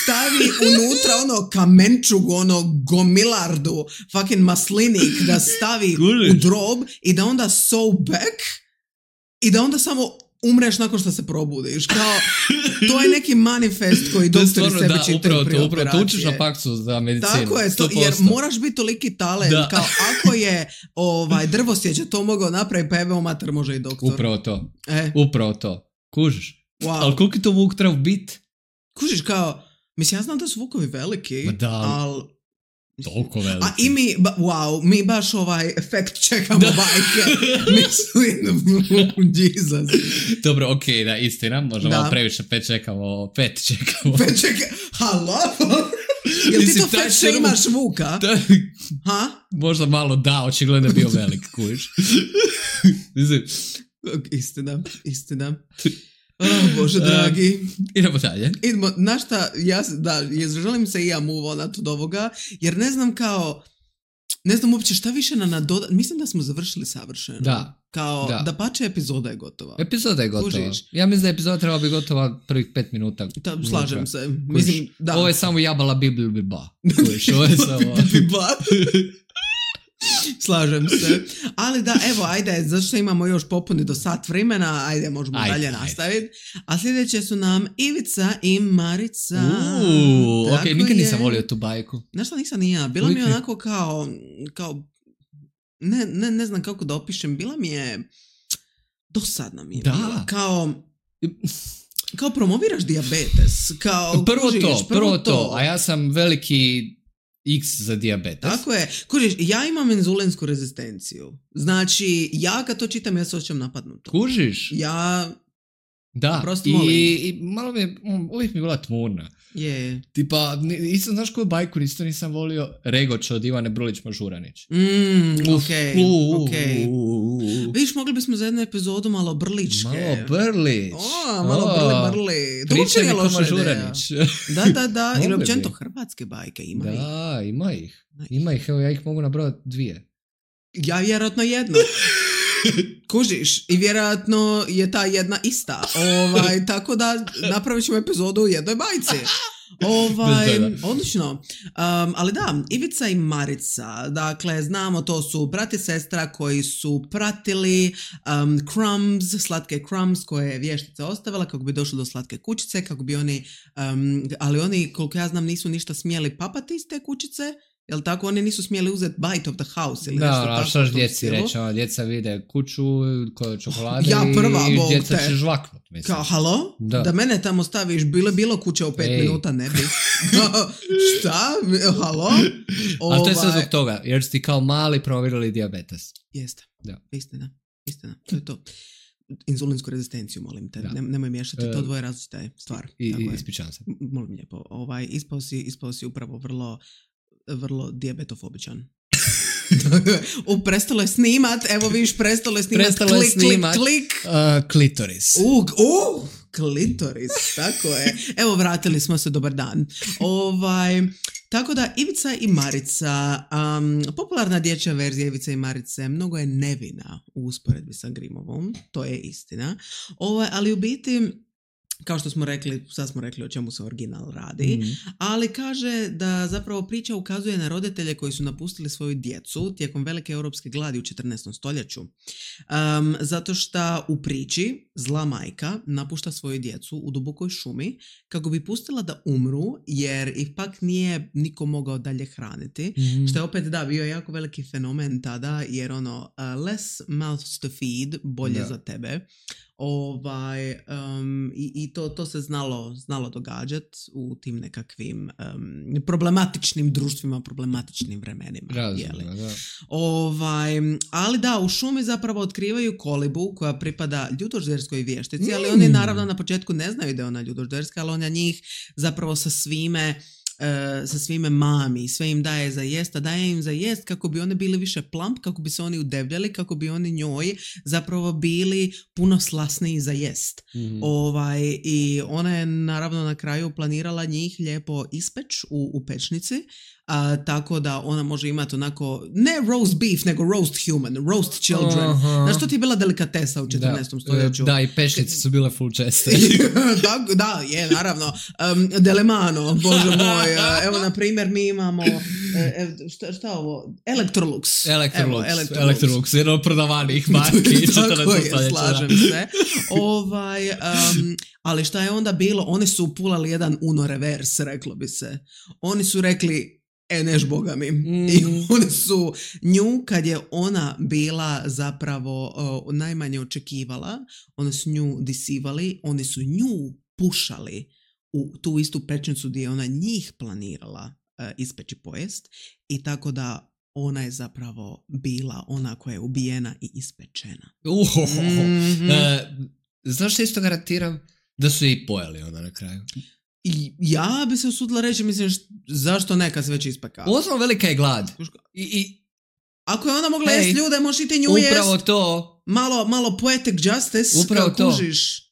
stavi unutra ono kamenčug, ono gomilardu, fucking maslinik da stavi u drob i da onda sew back i da onda samo umreš nakon što se probudiš. Kao, to je neki manifest koji doktori sebi da, čitaju pri to, operacije. To učiš na faksu za medicinu. Tako je, to, jer moraš biti toliki talent. Da. Kao ako je ovaj, drvosjeća to mogao napraviti, pa evo mater može i doktor. Upravo to. E. Upravo to. Kužiš. Wow. Ali koliko je to Vuk treba biti? Kužiš kao, mislim, ja znam da su Vukovi veliki, ali... Toliko veliki. A i mi, ba, wow, mi baš ovaj efekt čekamo bajke. Mislim, Jesus. Dobro, okej, okay, da, istina, možda malo previše pet čekamo, pet čekamo. Pet čekamo, halo? Jel ti to fakt što imaš Vuka? Da, ha? Možda malo da, očigledno je bio velik, kužiš. Mislim. Istina, istina. Oh, Bože dragi. Uh, idemo dalje. Idemo, na šta, ja, da, želim se i ja move onat od ovoga, jer ne znam kao, ne znam uopće šta više na nadoda, mislim da smo završili savršeno. Da. Kao, da, da pače epizoda je gotova. Epizoda je gotova. Kužiš? Ja mislim da je epizoda trebala biti gotova prvih pet minuta. Da, slažem se. Mislim, da. Ovo je samo jabala bibliju biba. Kužiš, ovo je samo... biba. Slažem se. Ali da, evo, ajde, zašto imamo još popuni do sat vremena, ajde, možemo ajde, dalje nastaviti. A sljedeće su nam Ivica i Marica. Uuu, ok, nikad nisam volio tu bajku. Znaš šta, nisam ni ja. Bila mi je onako kao, kao ne, ne, ne znam kako da opišem, bila mi je dosadna mi je. Da. Bila. Kao... Kao promoviraš dijabetes. Kao, prvo kužiš, to, prvo, prvo to. to. A ja sam veliki... X za dijabetes. Tako je. Kužiš, ja imam inzulinsku rezistenciju. Znači, ja kad to čitam, ja se osjećam napadnuto. Kužiš? Ja... Da, prosto I, molim. i malo mi je, uvijek mi je bila tmurna. Je. Tipa, nisam, znaš koju bajku isto nisam volio? Regoč od Ivane Brlić-Mažuranić. Mm, okej, okej. Vidiš, mogli bismo za jednu epizodu malo brličke. Malo brlić. O, malo o, brli, brli. Pričaj mi ko Mažuranić. Da, da, da. Ili općenito hrvatske bajke, ima da, ih. Da, ima ih. Ima ih, evo ja ih mogu nabrojati dvije. Ja vjerojatno jedno. Kužiš, i vjerojatno je ta jedna ista. Ovaj, tako da napravit ćemo epizodu u jednoj bajci. Ovaj, odlično. Um, ali da, Ivica i Marica, dakle, znamo, to su brat i sestra koji su pratili um, crumbs, slatke crumbs koje je vještica ostavila kako bi došli do slatke kućice, kako bi oni, um, ali oni, koliko ja znam, nisu ništa smjeli papati iz te kućice. Jel tako? Oni nisu smjeli uzeti bite of the house ili da, nešto tako. Da, što još djeci reći, ono, djeca vide kuću koje čokolade ja prva, i Bog djeca te. će žvaknut. Mislim. Kao, halo? Da. da mene tamo staviš, bilo bilo kuće u pet Ej. minuta, ne bi. Šta? Halo? Ali to je sve zbog toga, jer ste kao mali provirali dijabetes. Jeste. Da. Istina. Istina. To je to. Inzulinsku rezistenciju, molim te. Ne, nemoj miješati, to dvoje različita je stvar. I, i ispričavam se. Molim lijepo. Ovaj, ispao si, ispao si upravo vrlo vrlo dijabetofobičan. U, prestalo je snimat, evo viš, prestalo je snimat, Prestalo klik, je snimat, klik, klik. Uh, klitoris. U, u, klitoris, tako je. Evo, vratili smo se, dobar dan. Ovaj, tako da, Ivica i Marica, um, popularna dječja verzija Ivice i Marice, mnogo je nevina u usporedbi sa Grimovom, to je istina. Ovaj, ali u biti, kao što smo rekli, sad smo rekli o čemu se original radi, mm. ali kaže da zapravo priča ukazuje na roditelje koji su napustili svoju djecu tijekom velike europske gladi u četrnaestom stoljeću. Um, zato što u priči zla majka napušta svoju djecu u dubokoj šumi kako bi pustila da umru, jer ipak nije niko mogao dalje hraniti, mm. što je opet da bio jako veliki fenomen tada, jer ono uh, less mouths to feed, bolje da. Za tebe. Ovaj, um, i, i to, to se znalo, znalo događati u tim nekakvim um, problematičnim društvima, problematičnim vremenima. Razumno, da. Ovaj, ali da, u šumi zapravo otkrivaju kolibu koja pripada ljudožderskoj vještici, mm. ali oni naravno na početku ne znaju da je ona ljudožderska, ali ona njih zapravo sa svime Uh, sa svime mami, sve im daje za jest, a daje im za jest kako bi one bili više plump, kako bi se oni udebljali, kako bi oni njoj zapravo bili puno slasniji za jest. Mm-hmm. Ovaj, i ona je naravno na kraju planirala njih lijepo ispeć u, u pečnici, uh, tako da ona može imati onako, ne roast beef, nego roast human, roast children. Uh-huh. Znaš, to ti je bila delikatesa u četrnaestom stoljeću. Da, i pečnice su bile full česte. da, da, je, naravno. Um, Delemano, bože moj. Evo, na primjer, mi imamo e, šta, šta ovo? Electrolux. Electrolux. Evo, Electrolux. Electrolux, jedno od prodavanih marki. Tako je, slažem se. Ovaj, um, ali šta je onda bilo? Oni su upulali jedan Uno reverse, reklo bi se. Oni su rekli, e, neš boga mi. Mm. I oni su nju, kad je ona bila zapravo uh, najmanje očekivala, oni su nju disivali, oni su nju pušali u tu istu pečnicu gdje je ona njih planirala uh, ispeći pojest, i tako da ona je zapravo bila ona koja je ubijena i ispečena. Uhohoho. Mm-hmm. E, znaš što isto garantiram? Da su je i pojeli onda na kraju. I ja bi se usudila reći, mislim, št, zašto ne kad se već ispekala? Osnovno velika je glad. I, i, Ako je ona mogla hey, jest ljude, možeš i ti nju jest. Upravo to. Malo, malo poetic justice. Upravo to. Kužiš.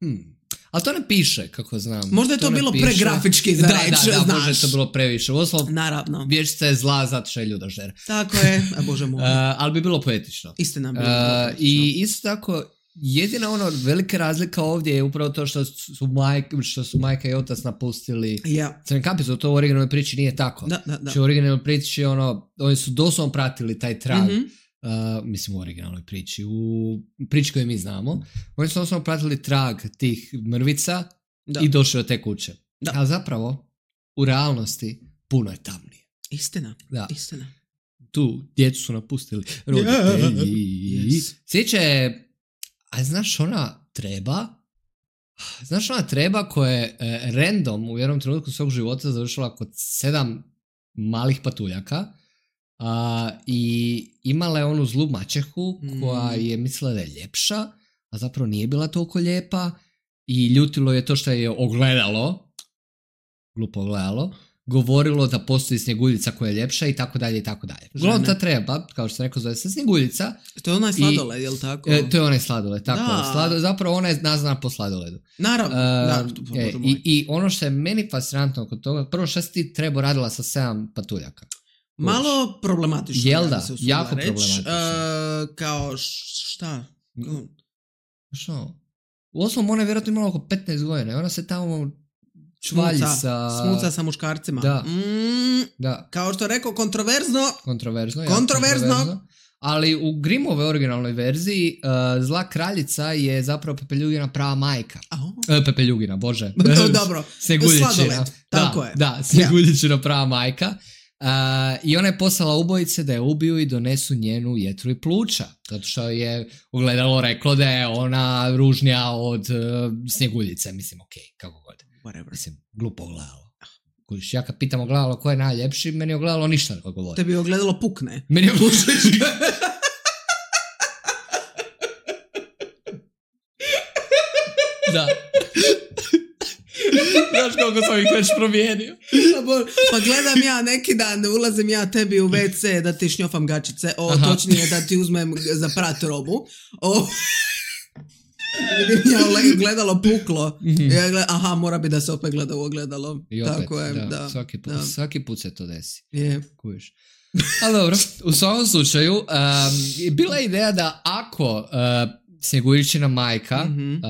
Hmm. Ali to ne piše, kako znam. Možda je to, to bilo pregrafički za reći, da, da, da, znaš. možda je to bilo previše. Osnovno, naravno. Vječica je zla zato što je ljudožder. Tako je, a bože moj. Uh, ali bi bilo poetično. Istina bi bilo uh, poetično. I isto tako, jedina ono velika razlika ovdje je upravo to što su, majka, što su majka i otac napustili yeah. Crni kampicu. To u originalnoj priči nije tako. Da, da, da. Znači u originalnoj priči ono, oni su doslovno pratili taj trag. Mm-hmm. Uh, mislim u originalnoj priči. U priči koju mi znamo. Oni su doslovno pratili trag tih mrvica da. I došli od te kuće. Da. Ali zapravo u realnosti puno je tamnije. Istina. Da. Istina. Tu djecu su napustili roditelji. Yeah. Yes. Sjeća je, a znaš ona treba, znaš ona treba koja je e, random u jednom trenutku svog života završila kod sedam malih patuljaka a, i imala je onu zlu maćehu koja je mislila da je ljepša, a zapravo nije bila toliko lijepa i ljutilo je to što je ogledalo, glupo ogledalo, govorilo da postoji Snjeguljica koja je ljepša i tako dalje i tako dalje. Uglavnom ta treba, kao što sam rekao, zove se Snjeguljica. To je onaj sladoled, jel tako? E, to je onaj sladoled, tako. Slado, zapravo ona je nazvana po sladoledu. Naravno, uh, da. E, i, I ono što je meni fascinantno kod toga, prvo što si ti treba radila sa sedam patuljaka? Malo problematično. Jel da? Jako problematično. Uh, kao šta? Što? U osnovom ona je vjerojatno imala oko petnaest godina. Ona se tamo čvalji smuca, sa... Smuca sa muškarcima. Da. Mm, da. Kao što rekao, kontroverzno. Kontroverzno, ja, kontroverzno. kontroverzno. Ali u Grimmove originalnoj verziji uh, zla kraljica je zapravo Pepeljugina prava majka. Oh. E, Pepeljugina, bože. To dobro. Snjeguljičina. Tako da, je. Da, Snjeguljičina yeah. prava majka. Uh, I ona je poslala ubojice da je ubiju i donesu njenu jetru i pluća. Zato što je ogledalo reklo da je ona ružnija od uh, Snjeguljice. Mislim, okej, okay, kako god. Whatever. Mislim, glupo ogledalo. Kužiš, ja kad pitam ogledalo ko je najljepši, meni je ogledalo ništa ne govori. Tebi je ogledalo pukne. Meni je pušiš. Da. Znaš koliko sam ih već promijenio. Pa gledam ja neki dan, ulazim ja tebi u ve ce da ti šnjofam gačice, o, točnije da ti uzmem za prat robu. O, vidim ja gledalo puklo. Mm-hmm. Ja gled, aha, mora bi da se opet gleda u ogledalo. I opet, tako je, da, da, svaki, put, da. svaki put se to desi. Je. Kuviš. Ali dobro, u svakom slučaju, um, bila je ideja da ako uh, Snjeguljčina majka mm-hmm. uh,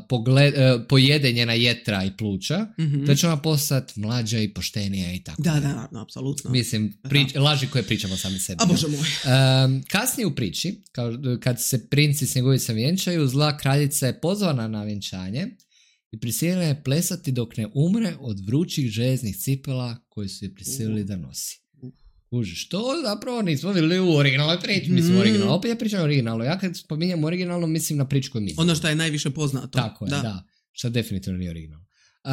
pogled, uh, pojede njena jetra i pluća, mm-hmm. da će ona postati mlađa i poštenija i tako. Da, da, da, apsolutno. Mislim, prič, laži koje pričamo sami sebi. A bože moj. Um, kasnije u priči, kao, kad se princi Snjeguljica vjenčaju, zla kraljica je pozvana na vjenčanje i prisiljena je plesati dok ne umre od vrućih željeznih cipela koji su je prisilili uh. da nosi. Kužiš, to zapravo nismo vidjeli u originalnoj priči, mislim mm. originalno, opet ja pričam originalno, ja kad spominjem originalno mislim na priču koju mislim. Ono što je najviše poznato. Tako je, da, da što definitivno nije originalno. Uh,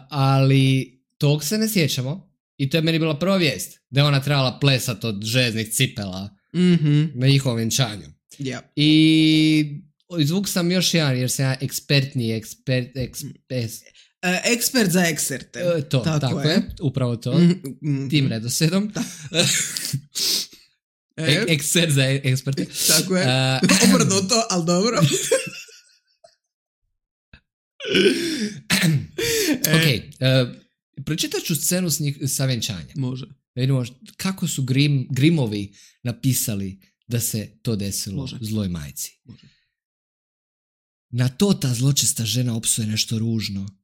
ali tog se ne sjećamo i to je meni bila prva vijest, da je ona trebala plesat od željeznih cipela mm-hmm. na njihovom vjenčanju. Yeah. I izvuk sam još jedan, jer sam ja ekspertni, ekspert, ekspert, Uh, ekspert za eksperte. Uh, to, tako, tako je. je, upravo to, mm-hmm. tim redoslijedom. e, ekspert za eksperte. Tako je, uh, obrnuto, ali dobro. ok, uh, pročitat ću scenu s njih, sa vjenčanja. Može. Da vidimo kako su Grim, Grimovi napisali da se to desilo Može. zloj majci. Može. Na to ta zločesta žena opsuje nešto ružno.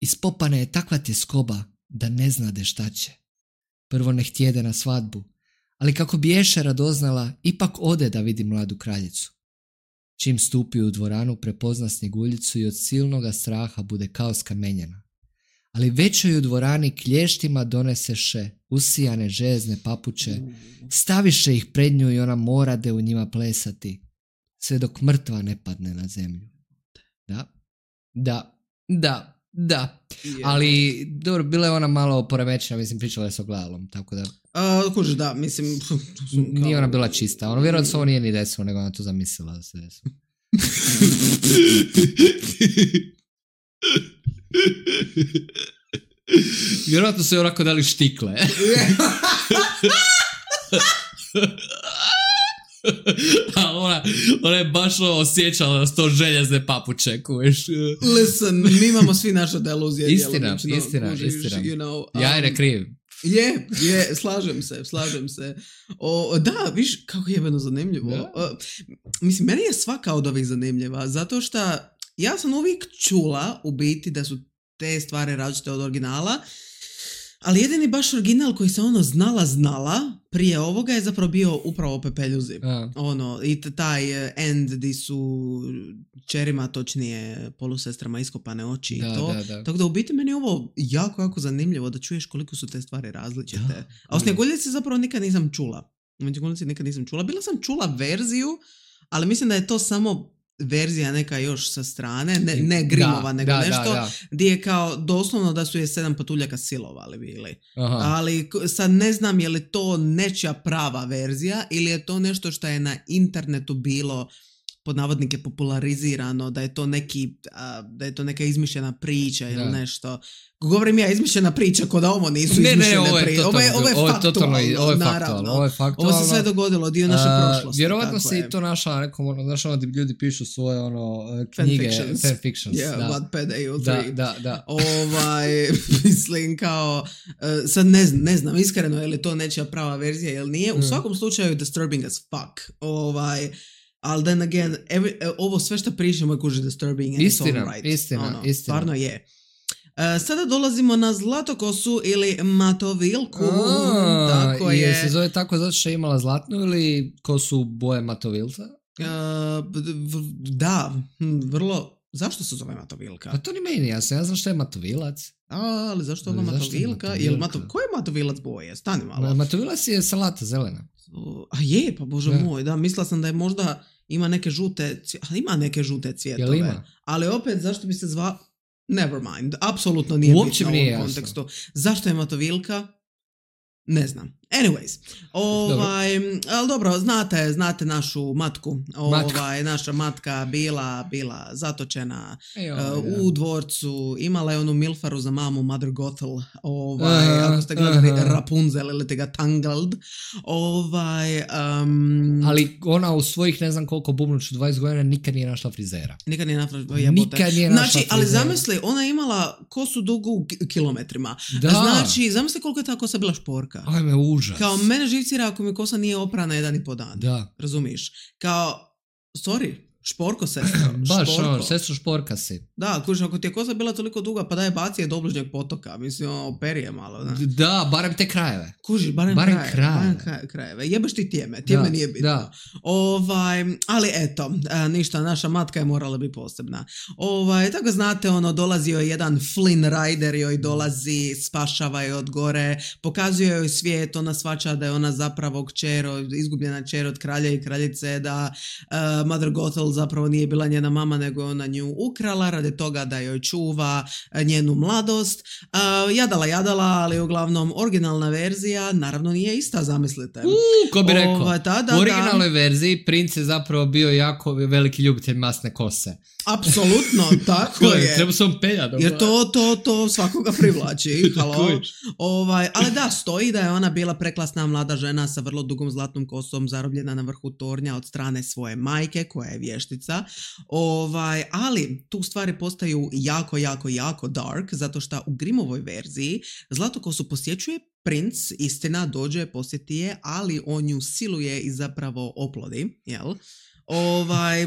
Ispopana je takva tjeskoba da ne znade šta će. Prvo ne htjede na svadbu, ali kako bi Ješa radoznala, ipak ode da vidi mladu kraljicu. Čim stupi u dvoranu, prepozna Snjeguljicu i od silnoga straha bude kao skamenjena. Ali već joj u dvorani klještima doneseše usijane željezne papuče, staviše ih pred nju i ona morade u njima plesati, sve dok mrtva ne padne na zemlju. Da, da, da. Da, yeah. ali dobro, bila je ona malo poremećena, mislim, pričala je s ogledalom, tako da... Uh, kužiš, da, mislim... Kao... Nije ona bila čista, ono vjerojatno se ovo nije ni desilo, nego ona to zamislila da se desilo. Vjerojatno su joj onako dali štikle. A ona, ona je baš osjećala s to željezne papuče, kuviš. Listen, mi imamo svi naše deluzije. Istina, istina, kužiš, istina. You know, um, ja je ne kriv. Je, je, slažem se, slažem se. O, da, viš, kako jebeno zanimljivo. O, mislim, meni je svaka od ovih zanimljiva, zato što ja sam uvijek čula u biti da su te stvari različite od originala, ali jedini baš original koji se ono znala znala prije ovoga je zapravo bio upravo Pepeljuzi. A. Ono, i taj end di su čerima, točnije polusestrama iskopane oči i da, to. Da, da. Tako da u biti meni je ovo jako, jako zanimljivo da čuješ koliko su te stvari različite. Da. A o Snjeguljici zapravo nikad nisam čula. O Snjeguljici nikad nisam čula. Bila sam čula verziju, ali mislim da je to samo verzija neka još sa strane, ne, ne Grimova, da, nego da, nešto, da, da. Gdje je kao doslovno da su je sedam patuljaka silovali bili. Aha. Ali sad ne znam je li to nečija prava verzija ili je to nešto što je na internetu bilo pod navodnike popularizirano, da je to neki, a, da je to neka izmišljena priča ili nešto. Govorim ja izmišljena priča, ko da ovo nisu ne, izmišljene ne, ovo je priče. Ovo je, ovo je faktualno, ovo je naravno. Ovo je faktualno. Ovo se sve dogodilo, dio naše uh, prošlosti. Vjerovatno si i to našla nekom, ono, znaš ono gdje ljudi pišu svoje ono, knjige, fanfictions. fanfictions. Yeah, da. Wattpad A O Da, tri. da, da. Ovaj, mislim kao, uh, sad ne znam, ne znam iskreno je li to nečija prava verzija ili nije. U mm. svakom slučaju disturbing as fuck. Ovaj, ali then again, every, uh, ovo sve što pričamo je kuži disturbing and istina, it's all right. Istina, ono, istina. Stvarno je. Uh, sada dolazimo na Zlatokosu ili Matovilku. A, tako je. Je se zove tako zato što je imala zlatnu ili kosu boje Matovilca? Uh, da, vrlo... Zašto se zove Matovilka? Pa to ni meni, ja sam, ja znam što je Matovilac. A, ali zašto je ona Matovilka? Je Jel Mato... Ko je Matovilac boje? Stani malo. Matovilac je salata zelena. A je, pa bože ja. moj, da, mislila sam da je možda ima neke žute, ima neke žute cvjetove. Ima? Ali opet, zašto bi se zvao... Never mind, apsolutno nije uopće bitno u ovom nije kontekstu. Zašto je Matovilka? Ne znam. Anyways, ovaj, ali dobro, znate, znate našu matku, ovaj, naša matka bila, bila zatočena Ej, uh, ovaj, u dvorcu, imala je onu milfaru za mamu, Mother Gothel, ovaj, uh, ako ste gledali uh, Rapunzel ili te ga Tangled, ovaj, um, ali ona u svojih ne znam koliko bubnuću dvadeset godina nikad nije našla frizera. Nikad nije našla, nikad nije našla znači, ali zamisli, ona je imala kosu dugu kilometrima. Da. Znači, zamisli koliko je ta kosa bila šporka. Ajme, užas. Kao mene živcira ako mi kosa nije oprana jedan i po dan. Da. Razumiš? Kao, sorry, šporko sestra. Baš ono, sestro šporka si. Da, kužiš, ako ti je kosa bila toliko duga, pa daj baci je do obližnjeg potoka. Mislim, operi je malo. Da, da barem te krajeve. Kužiš, barem, barem krajeve. krajeve. Barem krajeve. Jebeš ti tijeme, tijeme da, nije bitno. Da. Ovaj, ali eto, ništa, naša matka je morala biti posebna. Ovaj, tako znate, ono, dolazio je jedan Flynn Rider, joj dolazi, spašava je od gore, pokazuje joj svijet, ona shvaća da je ona zapravo kćer, izgubljena kćer od kralja i kraljice, da uh, Mother Gothel zapravo nije bila njena mama, nego je ona nju ukrala radi toga da joj čuva njenu mladost. Uh, jadala, jadala, ali uglavnom originalna verzija naravno nije ista, zamislite. Uh, ko bi rekao, Ova, da, da, u originalnoj da. verziji princ je zapravo bio jako veliki ljubitelj masne kose. Apsolutno, tako je. Treba se on penja. Jer to, to, to svakoga privlači. Halo. Ovaj, ali da, stoji da je ona bila preklasna mlada žena sa vrlo dugom zlatnom kosom, zarobljena na vrhu tornja od strane svoje majke, koja je vještica. Ovaj, ali tu stvari postaju jako, jako, jako dark, zato što u Grimmovoj verziji zlatokosu posjećuje princ, istina, dođe, posjeti je, ali on nju siluje i zapravo oplodi, jel? Ovaj...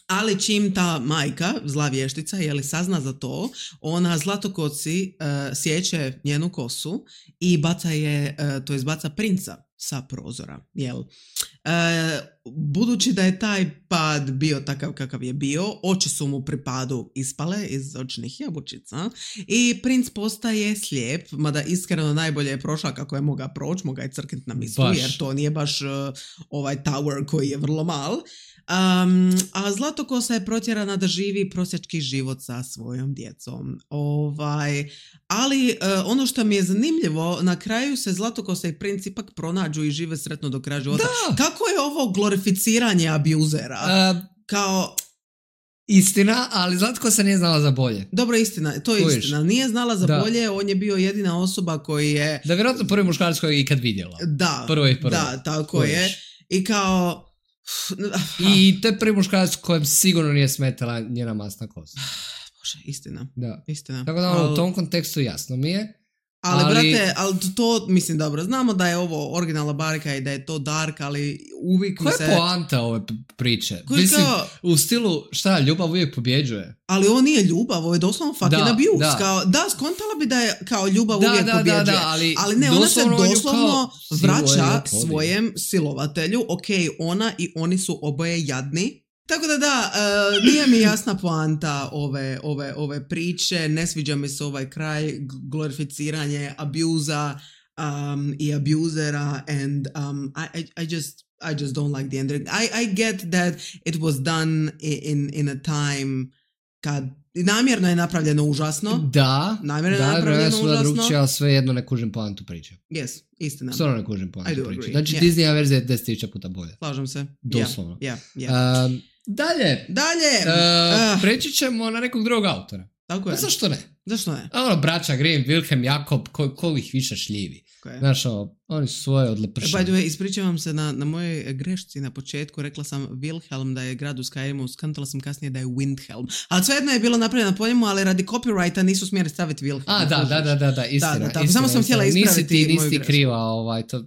Ali čim ta majka, zla vještica, jeli sazna za to, ona zlatokosi uh, sjeće njenu kosu i baca je, uh, to je baca princa sa prozora, jel? Uh, budući da je taj pad bio takav kakav je bio, oči su mu pri padu ispale iz očnih jabučica i princ postaje slijep, mada iskreno najbolje je prošla kako je moga proći, moga je crknit na mislu, baš. Jer to nije baš uh, ovaj tower koji je vrlo mal. Um, a Zlatokosa je protjerana da živi prosječki život sa svojom djecom. Ovaj, ali uh, ono što mi je zanimljivo, na kraju se Zlatokosa i princ ipak pronađu i žive sretno do kraja života. Da. Kako je ovo glorificiranje abuzera? Uh, Kao... Istina, ali Zlatkosa nije znala za bolje. Dobro, istina, to je Kojiš? Istina. Nije znala za da. bolje, on je bio jedina osoba koji je... Da, vjerojatno prvi muškarac koji je ikad vidjela. Da, prvo i prvo. Da, tako Kojiš? je. I kao... I to je prvi muškarac kojem sigurno nije smetala njena masna kosa. Bože, istina. Da. Istina. Tako da ono, u tom kontekstu jasno mi je. Ali, ali, brate, ali to, mislim, dobro, znamo da je ovo originalna barka i da je to dark, ali uvijek mi se... Koja je poanta ove priče? Mislim, kao... u stilu, šta, ljubav uvijek pobjeđuje? Ali ovo nije ljubav, ovo je doslovno fucking da, abuse. Da. Kao, da, skontala bi da je kao ljubav da, uvijek da, pobjeđuje. Da, da, ali, ali ne, ona se doslovno vraća je, svojem silovatelju. Ok, ona i oni su oboje jadni. Tako da da, uh, nije mi jasna poanta ove, ove, ove priče, ne sviđa mi se ovaj kraj, glorificiranje abuza um, i abusera and um, I, I, I just I just don't like the ending. I, I get that it was done in, in a time kad namjerno je napravljeno užasno. Da, namjerno da, je napravljeno užasno. Drugčija, ali svejedno ne kužim poantu priče. Yes, istina. Stvarno ne kužim poantu priče. Agree. Znači yeah. Disneya verzija je deset tisuća puta bolje. Slažem se. Doslovno. Yeah, yeah, yeah. Um, dalje. Dalje. Uh, uh. Preći ćemo na nekog drugog autora. Tako je. A zašto ne? Zašto ne? Ono, braća Grimm, Wilhelm, Jakob, ko, ko ih više šljivi. Okay. Znaš, ono, oni su svoje odlepršali. By the way, ispričavam se na, na mojoj grešci na početku, rekla sam Wilhelm da je grad u Skyrimu, skantala sam kasnije da je Windhelm. Ali svejedno je bilo napravljeno po njemu, ali radi copyrighta nisu smjeli staviti Wilhelm. A, da, da, da, da, da, istina. Da, da, tako, istina, samo sam htjela ispraviti nisi ti, moju nisi ti grešku. kriva, ovaj, to,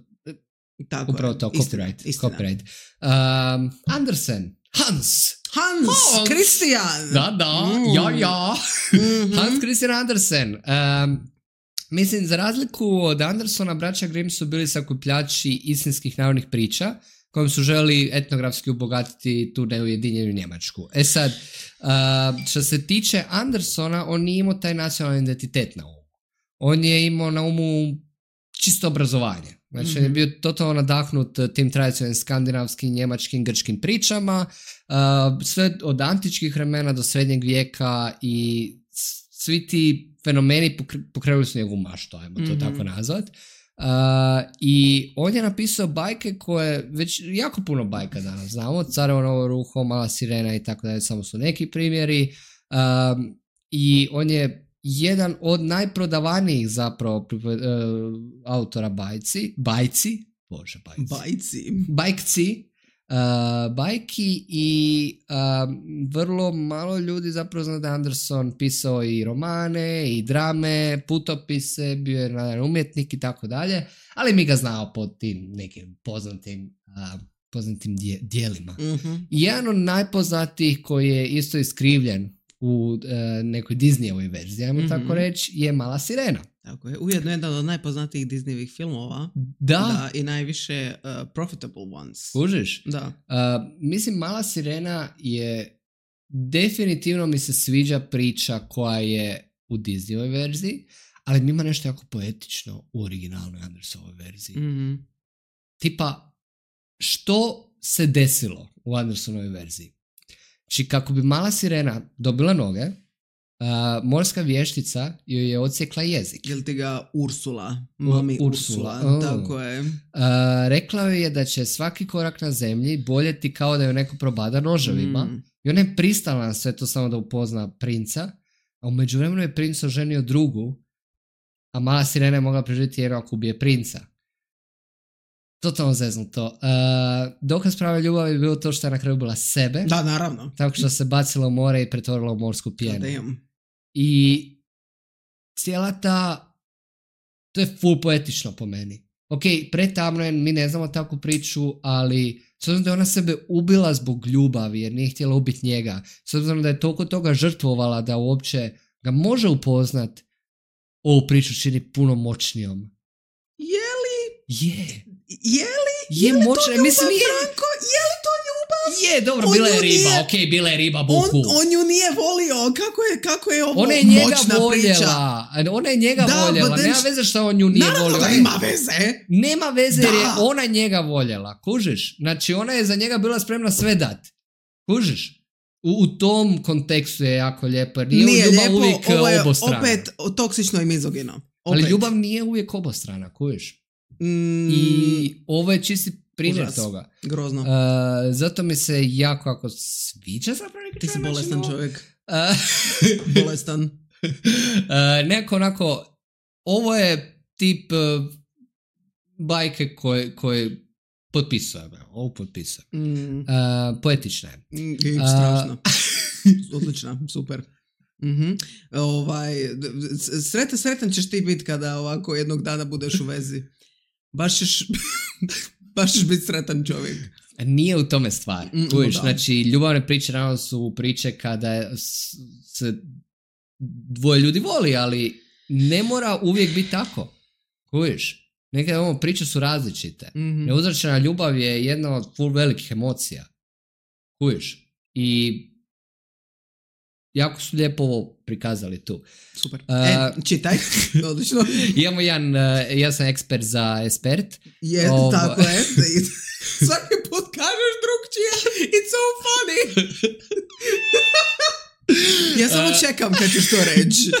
tako upravo je. to, Istina, copyright. istina. copyright. Um, Andersen, Hans. Hans Christian. Da, da, mm. ja, ja. Mm-hmm. Hans Christian Andersen. Um, mislim, za razliku od Andersona, braća Grimm su bili sakupljači istinskih narodnih priča kojim su želi etnografski obogatiti tu neujedinjenu Njemačku. E sad, uh, što se tiče Andersona, on nije imao taj nacionalni identitet na umu. On je imao na umu čisto obrazovanje. Znači, mm-hmm. on je bio totalno nadahnut tim tradicionalnim skandinavskim, njemačkim, grčkim pričama, uh, sve od antičkih vremena do srednjeg vijeka i svi ti fenomeni pokrenuli su njegovu maštu, ajmo to mm-hmm. tako nazvat. I on je napisao bajke koje, već jako puno bajka danas znamo, Carevo novo ruho, Mala sirena i tako dalje, samo su neki primjeri. Uh, I on je jedan od najprodavanijih zapravo uh, autora bajci, bajci, bože bajci, Bajci. bajkci, uh, bajki i uh, vrlo malo ljudi zapravo zna da je Anderson pisao i romane i drame, putopise, bio je naravno umjetnik i tako dalje, ali mi ga znao pod tim nekim poznatim uh, poznatim dje, dijelima. Mm-hmm. I jedan od najpoznatijih koji je isto iskrivljen u uh, nekoj Disneyovoj verziji, ajmo mm-hmm. tako reći, je Mala sirena. Tako je. Ujedno jedan od najpoznatijih Disneyvih filmova. Da. Da, i najviše uh, profitable ones. Kužiš? Da. Uh, mislim, Mala sirena je definitivno mi se sviđa priča koja je u Disneyovoj verziji, ali ima nešto jako poetično u originalnoj Andersonovoj verziji. Mm-hmm. Tipa, što se desilo u Andersonovoj verziji? Znači, kako bi Mala sirena dobila noge, uh, morska vještica joj je odsjekla jezik. Jel ti ga Ursula? Mami Ursula. Ursula. Oh. Tako je. Uh, rekla joj je da će svaki korak na zemlji boljeti kao da joj neko probada noževima. Mm. I ona je pristala na sve to samo da upozna princa, a u međuvremenu je princ oženio drugu, a Mala sirena je mogla preživjeti jedno ako ubije princa. Totalno zeznuto. Uh, dokaz prave ljubavi je bilo to što je na kraju bila sebe. Da, naravno. Tako što se bacila u more i pretvorila u morsku pjenu. Damn. I cijela ta... To je full poetično po meni. Ok, pretamno je, mi ne znamo takvu priču, ali s obzirom da je ona sebe ubila zbog ljubavi jer nije htjela ubiti njega, s obzirom da je toliko toga žrtvovala da uopće ga može upoznat, ovu priču čini puno moćnijom. Je li? Je. Je li? Je, je moćna, mislim nije. Franko? Je li to ljubav? Je, dobro, on bila je riba, nije, ok, bila je riba buku. On, on ju nije volio, kako je, kako je ovo ona je njega moćna voljela. priča? Ona je njega da, voljela, nema then... veze što on nju nije naravno volio. Naravno da ima veze. Nema veze da. jer je ona njega voljela, kužiš? Znači ona je za njega bila spremna sve dat, kužiš? U, u tom kontekstu je jako lijepo, jer nije, nije ljubav lijepo, uvijek ovo je obostrana. opet toksično i mizogino. Opet. Ali ljubav nije uvijek obostrana, kužiš? Mm, I ovo je čisti primjer užas. toga. Grozno. Uh, zato mi se jako jako sviđa zapravo neki Ti si bolestan način, čovjek. Uh, bolestan. Uh, neko onako, ovo je tip uh, bajke koje, koje potpisujem. Ovo potpisujem. Mm. Uh, poetična je. Mm, strašno. Uh, Odlična, super. Mm-hmm. Ovaj, sretan, sretan ćeš ti biti kada ovako jednog dana budeš u vezi. Baš ćeš, baš ćeš biti sretan čovjek. Nije u tome stvar. Mm, Uviš, znači, ljubavne priče naravno su priče kada se dvoje ljudi voli, ali ne mora uvijek biti tako. Uviš, neke ovo priče su različite. Mm-hmm. Neuzračena ljubav je jedna od full velikih emocija. Uviš, i jako su lijepo ovo prikazali tu. Super. Uh, e, čitaj. Odlično. Imamo jedan, uh, ja sam ekspert za espert. Je, Ovo... tako je. Svaki put kažeš drugčije. It's so funny. Ja samo čekam kad ćeš to reći.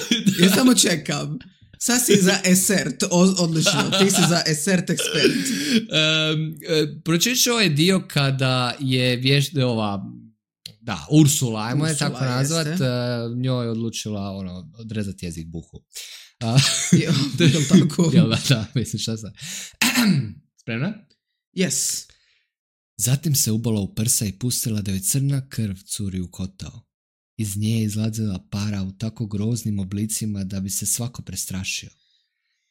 Ja samo čekam. Sad si za esert. Odlično. Ti si za esert ekspert. Um, uh, Pročišću ovaj dio kada je vješta ova... Da, Ursula, ajmo je tako nazvat, uh, njoj je odlučila ono, odrezati jezik buhu. Uh, je li tako? Jel da, da, mislim šta sam. Spremna? Yes. Zatim se ubala u prsa i pustila da joj crna krv curi u kotao. Iz nje je izlazila para u tako groznim oblicima da bi se svako prestrašio.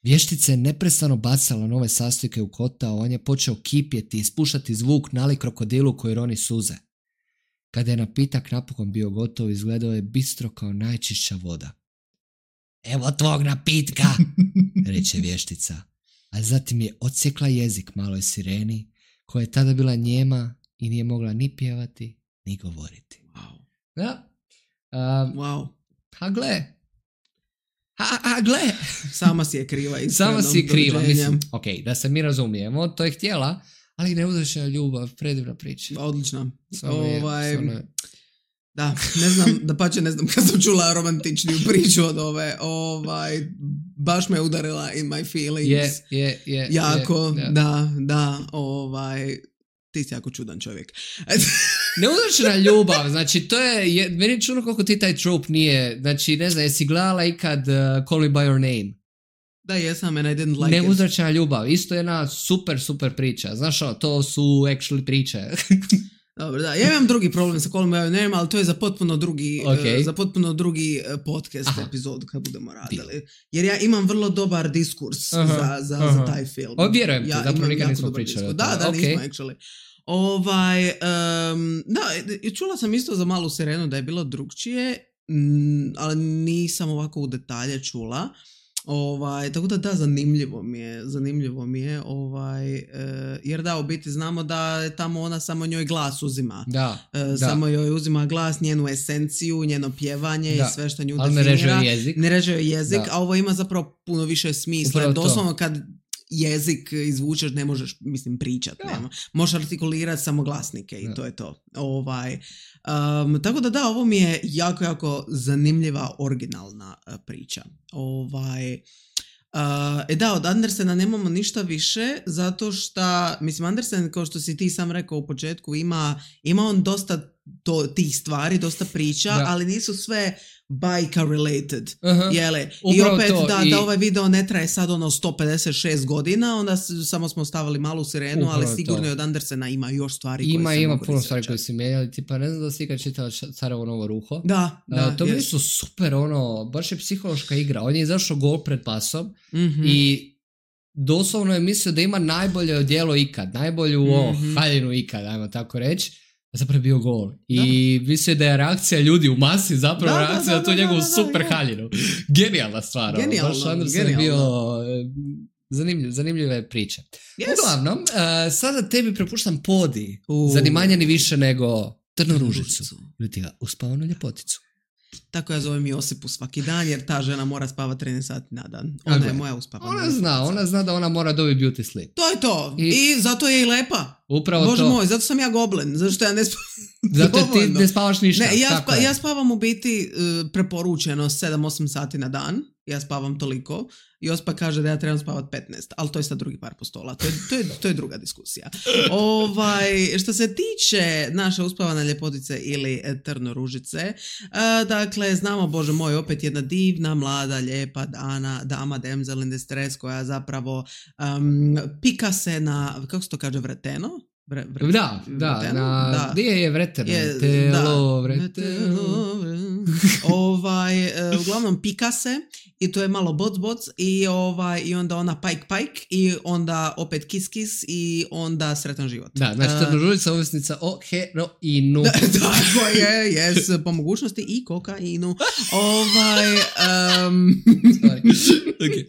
Vještica je neprestano bacala nove sastojke u kotao, on je počeo kipjeti i ispuštati zvuk nalik krokodilu koji roni suze. Kada je napitak napokon bio gotov, izgledao je bistro kao najčišća voda. Evo tvog napitka, reče vještica, a zatim je odsjekla jezik maloj sireni, koja je tada bila njema i nije mogla ni pjevati, ni govoriti. Wow. Da. Um, wow. A gle. A, a gle. Sama si je kriva. Sama si je kriva. Mislim, ok, da se mi razumijemo, to je htjela, ali neuzračena ljubav, predivna priča. Odlična. Ovaj, je, da, ne znam, da pače ne znam kad sam čula romantičniju priču od ove. Ovaj, baš me udarila in my feelings. Je, je, je. Jako, je, da, da, ovaj, ti si jako čudan čovjek. Neuzročena ljubav, znači to je, je meni je čudno koliko ti taj trope nije, znači ne znam, jesi gledala ikad uh, Call Me By Your Name? Da, jesam, and I didn't like Neuzročena ljubav, isto jedna super, super priča, znaš o, to su actually priče. Dobro, da, ja imam drugi problem sa Call Me By Your Name, ali to je za potpuno drugi, Okay. uh, za potpuno drugi uh, podcast Aha. epizod kad budemo radili. Jer ja imam vrlo dobar diskurs Aha, za, za, aha. za taj film. O, vjerujem ti, Ja zapravo imam nikad jako nismo dobar pričali o diskurs. Da, tome. da, Okay. nismo actually. Ovaj, um, da, i čula sam isto za Malu sirenu da je bilo drugčije, mm, ali nisam ovako u detalje čula. Ovaj, tako da da, zanimljivo mi je, zanimljivo mi je, ovaj, e, jer da, u biti znamo da je tamo ona samo njoj glas uzima. Da, E, da. Samo joj uzima glas, njenu esenciju, njeno pjevanje Da. i sve što nju Ali ne definira. reže jezik. Ne reže joj jezik, Da. a ovo ima zapravo puno više smisla. Upravo to. Doslovno kad jezik izvučeš ne možeš, mislim, pričat. Da. Nema. Možeš artikulirati samo glasnike i Da. to je to. Ovaj, um, tako da da, ovo mi je jako, jako zanimljiva originalna uh, priča. Ovaj, uh, e da, od Andersena nemamo ništa više zato što, mislim, Andersen, kao što si ti sam rekao u početku, ima, ima on dosta to, tih stvari, dosta priča, Da. ali nisu sve bajka related. Aha. Jele. I Upravo opet to, da, i- da ovaj video ne traje sad ono sto pedeset šest godina, onda s- samo smo stavili Malu sirenu, Upravo ali sigurno to. i od Andersena ima još stvari koje Ima, se ima mogu puno stvari koje researchat. si mijenjali, tipa ne znam da si ikad čitala Ša- Carevo novo ruho. Da, da. Uh, to mi jest. su super, ono, baš je psihološka igra. On je izašao gol pred pasom Mhm. i doslovno je mislio da ima najbolje odjelo ikad, najbolju o, Mhm. haljinu ikad, ajmo tako reći. A zapravo je bio gol. I mislio da je reakcija ljudi u masi zapravo Da, da, reakcija da, na tu da, njegovu da, da, super je. haljinu. Genijalna stvar. ono, Genijalno, Baš Andersen je bio genijalno. e, zanimljiv, zanimljive priče. Yes. Uglavnom, uh, sada tebi prepuštam podi. U. Zanimanje ni više nego Trnu ružicu. Ružicu. Ili ti ga uspavanu ljepoticu. Tako ja zovem Josipu svaki dan, jer ta žena mora spavati trinaest sati na dan. Ona Tako je je. moja uspavana. Ona zna, ona zna da ona mora dobiti beauty sleep. To je to. I- I, zato je i lepa. Upravo Bože to. moj, zato sam ja goblin. Zato što ja ne spavam. Zato ti dovoljno. ne spavaš ništa. Ne, ja, tako spa, je. ja spavam u biti uh, preporučeno sedam osam sati na dan. Ja spavam toliko. Jospa kaže da ja trebam spavat petnaest, ali to je sad drugi par postola. To je, to je, to je druga diskusija. Ovaj, što se tiče naše uspavane ljepotice ili e, trnoružice, uh, dakle, znamo, Bože moj, opet jedna divna, mlada, lijepa dana, dama damsel in distress koja zapravo um, pika se na, kako se to kaže, vreteno? Vre, vre, Da, da, vreteno? na, Da. gdje je vreterno? Je, Telo, da. vreteno. ovaj, e, uglavnom pika se i to je malo boc boc i, ovaj, i onda ona pajk pajk i onda opet kis kis i onda sretan život. Da, znači E, trnoružica ovisnica o heroinu. da, tako je, jes, po mogućnosti i kokainu. Ovaj, um, Sorry. Okay.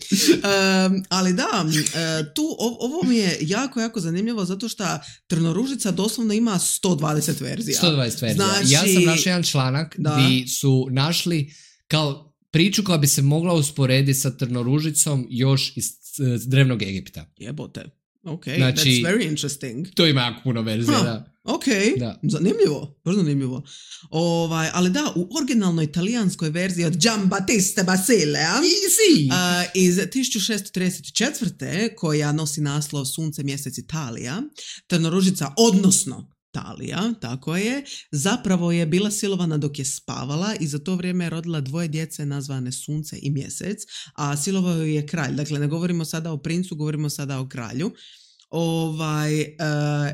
um, ali da, e, tu, o- ovo mi je jako, jako zanimljivo zato što Trnoružica doslovno ima sto dvadeset verzija. sto dvadeset verzija. Znači- Ja sam našao jedan članak Da. gdje su našli kao priču koja bi se mogla usporediti sa Trnoružicom još iz eh, drevnog Egipta. Jebote. Ok, Znači- that's very interesting. To ima jako puno verzija, Huh. da. Ok, Da. zanimljivo, vrlo zanimljivo. Ovaj, ali da, u originalnoj italijanskoj verziji od Giambattista Basilea Easy! uh, iz tisuću šessto trideset četvrte koja nosi naslov Sunce, mjesec, Italija, Trnoružica, odnosno Talija, tako je, zapravo je bila silovana dok je spavala i za to vrijeme je rodila dvoje djece nazvane Sunce i Mjesec, a silovao ju je kralj. Dakle, ne govorimo sada o princu, govorimo sada o kralju. Ovaj, e,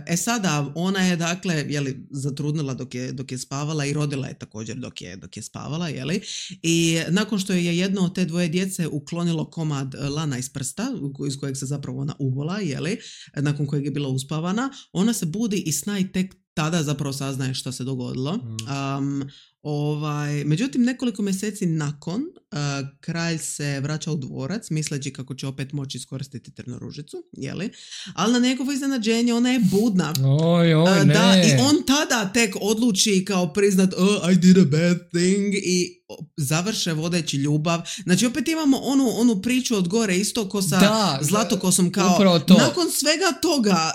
e sada ona je dakle jeli, zatrudnila dok je, dok je spavala i rodila je također dok je, dok je spavala, jeli? I nakon što je jedno od te dvoje djece uklonilo komad lana iz prsta iz kojeg se zapravo ona ubola, jeli? Nakon kojeg je bila uspavana, ona se budi i sna i tek tada zapravo saznaje što se dogodilo. Um, ovaj, međutim, nekoliko mjeseci nakon uh, kralj se vraća u dvorac misleći kako će opet moći iskoristiti Trnoružicu, jeli? Ali na njegovo iznenađenje ona je budna. Oj, oj, Uh, ne. da, i on tada tek odluči kao priznat oh, I did a bad thing i završe vodeći ljubav. Znači opet imamo onu, onu priču od gore isto ko sa Da, Zlatokosom kao upravo to. nakon svega toga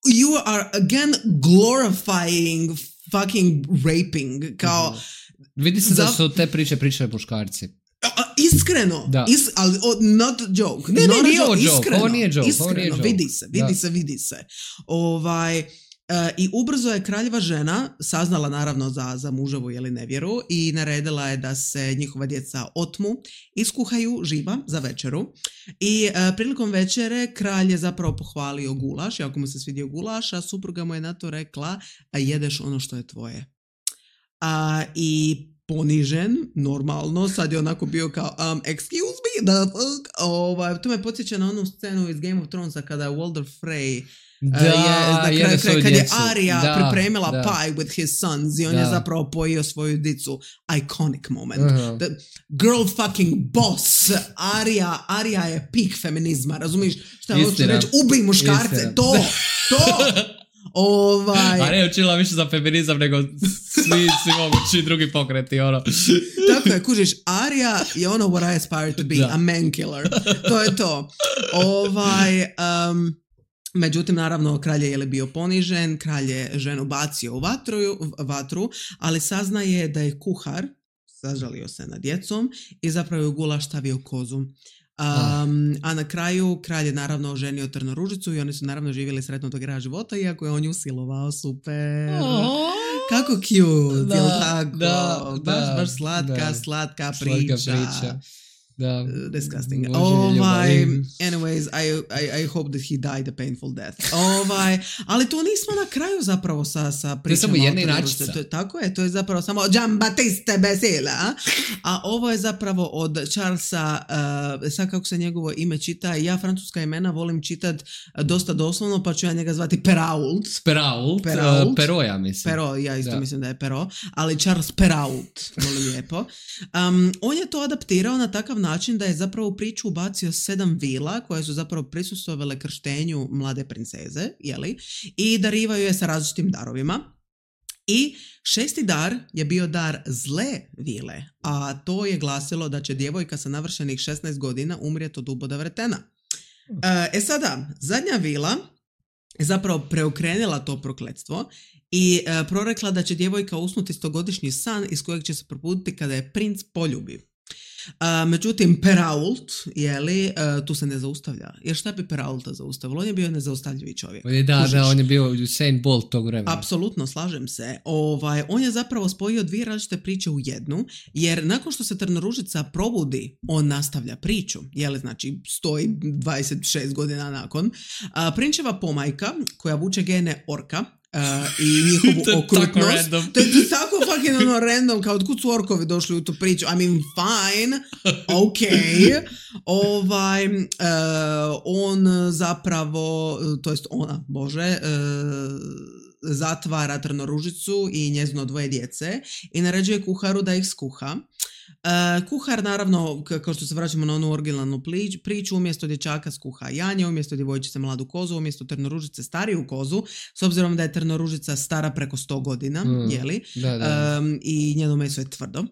you are again glorifying fucking raping kao Vidi se da Za- su te priče pričali muškarci. a, iskreno, is, ali oh, not joke. Ne, not ne, nije ovo joke. joke, ovo nije joke. Iskreno, ovo nije joke. vidi se, vidi da. se, vidi se. Ovaj... Uh, I ubrzo je kraljeva žena saznala naravno za, za muževu jeli nevjeru i naredila je da se njihova djeca otmu, iskuhaju živa za večeru i uh, prilikom večere kralj je zapravo pohvalio gulaš i ako mu se svidio gulaš, a supruga mu je na to rekla a jedeš ono što je tvoje. Uh, I ponižen, normalno, sad je onako bio kao um, excuse me, the fuck? Ovaj, to me podsjeća na onu scenu iz Game of Thronesa kada je Walder Frey Da, uh, je, je, kraj, kad je Arya da, pripremila da. pie with his sons i on da. je zapravo pojio svoju dicu. Iconic moment. Uh-huh. The girl fucking boss. Arya, Arya je peak feminizma, razumiješ? Šta hoću reći? Ubij muškarce, Istina. to, to. Ovaj... A ne učila više za feminizam nego svi, svi mogući drugi pokreti, ono. Tako je, kužiš, Arya je ono what I aspire to be, da. a man killer. To je to. Ovaj... Um, Međutim, naravno, kralj je li bio ponižen, kralj je ženu bacio u vatru, vatru, ali saznaje da je kuhar, sažalio se nad djecom i zapravo je u gulaš stavio kozu. Um, a na kraju kralj je naravno oženio Trnoružicu i oni su naravno živjeli sretno do kraja života, iako je on nju silovao, super. Oh. Kako cute, da, jel tako? Da, baš, da, baš slatka, da. slatka priča. Slatka priča. Da. Uh, disgusting. Ovaj, anyways, I, I, I hope that he died a painful death. Ovaj, ali to nismo na kraju zapravo sa, sa pričama. To je samo jedna inačica. To, tako je, to je zapravo samo Giambattista Basila. A ovo je zapravo od Charlesa, uh, sad kako se njegovo ime čita, ja francuska imena volim čitat dosta doslovno, pa ću ja njega zvati Perrault. Perrault, Perrault. Uh, Pero ja mislim. Pero, ja isto da. mislim da je Pero, ali Charles Perrault, volim lijepo. Um, on je to adaptirao na takav način da je zapravo u priču ubacio sedam vila koje su zapravo prisustvovale krštenju mlade princeze, jeli, i darivaju je sa različitim darovima. I šesti dar je bio dar zle vile, a to je glasilo da će djevojka sa navršenih šesnaest godina umrijeti od uboda vretena. E sada, zadnja vila je zapravo preokrenila to prokletstvo i e, prorekla da će djevojka usnuti stogodišnji san iz kojeg će se probuditi kada je princ poljubi. Uh, međutim, Perrault, jeli, uh, tu se ne zaustavlja. Jer šta bi Perraulta zaustavilo? On je bio nezaustavljivi čovjek. Da, Kužiš? Da, on je bio Usain Bolt tog vremena. Apsolutno, slažem se. Ovaj, on je zapravo spojio dvije različite priče u jednu, jer nakon što se Trnoružica probudi, on nastavlja priču. Jeli, znači, stoji dvadeset šest godina nakon. Uh, prinčeva pomajka, koja vuče gene orka, Uh, i njihovu okrutnost. To je tako fucking ono random, kao odkud su orkovi došli u tu priču. I mean, fine, ok. Ovaj, uh, on zapravo, to jest ona, bože, uh, zatvara Trnoružicu i njezino dvoje djece i naređuje kuharu da ih skuha. Uh, kuhar naravno, k- kao što se vraćamo na onu originalnu plič, priču, umjesto dječaka skuha janje, umjesto djevojčice mladu kozu, umjesto Trnoružice stariju kozu, s obzirom da je Trnoružica stara preko sto godina, mm, jeli, da, da. Um, i njeno meso je tvrdo. Uh,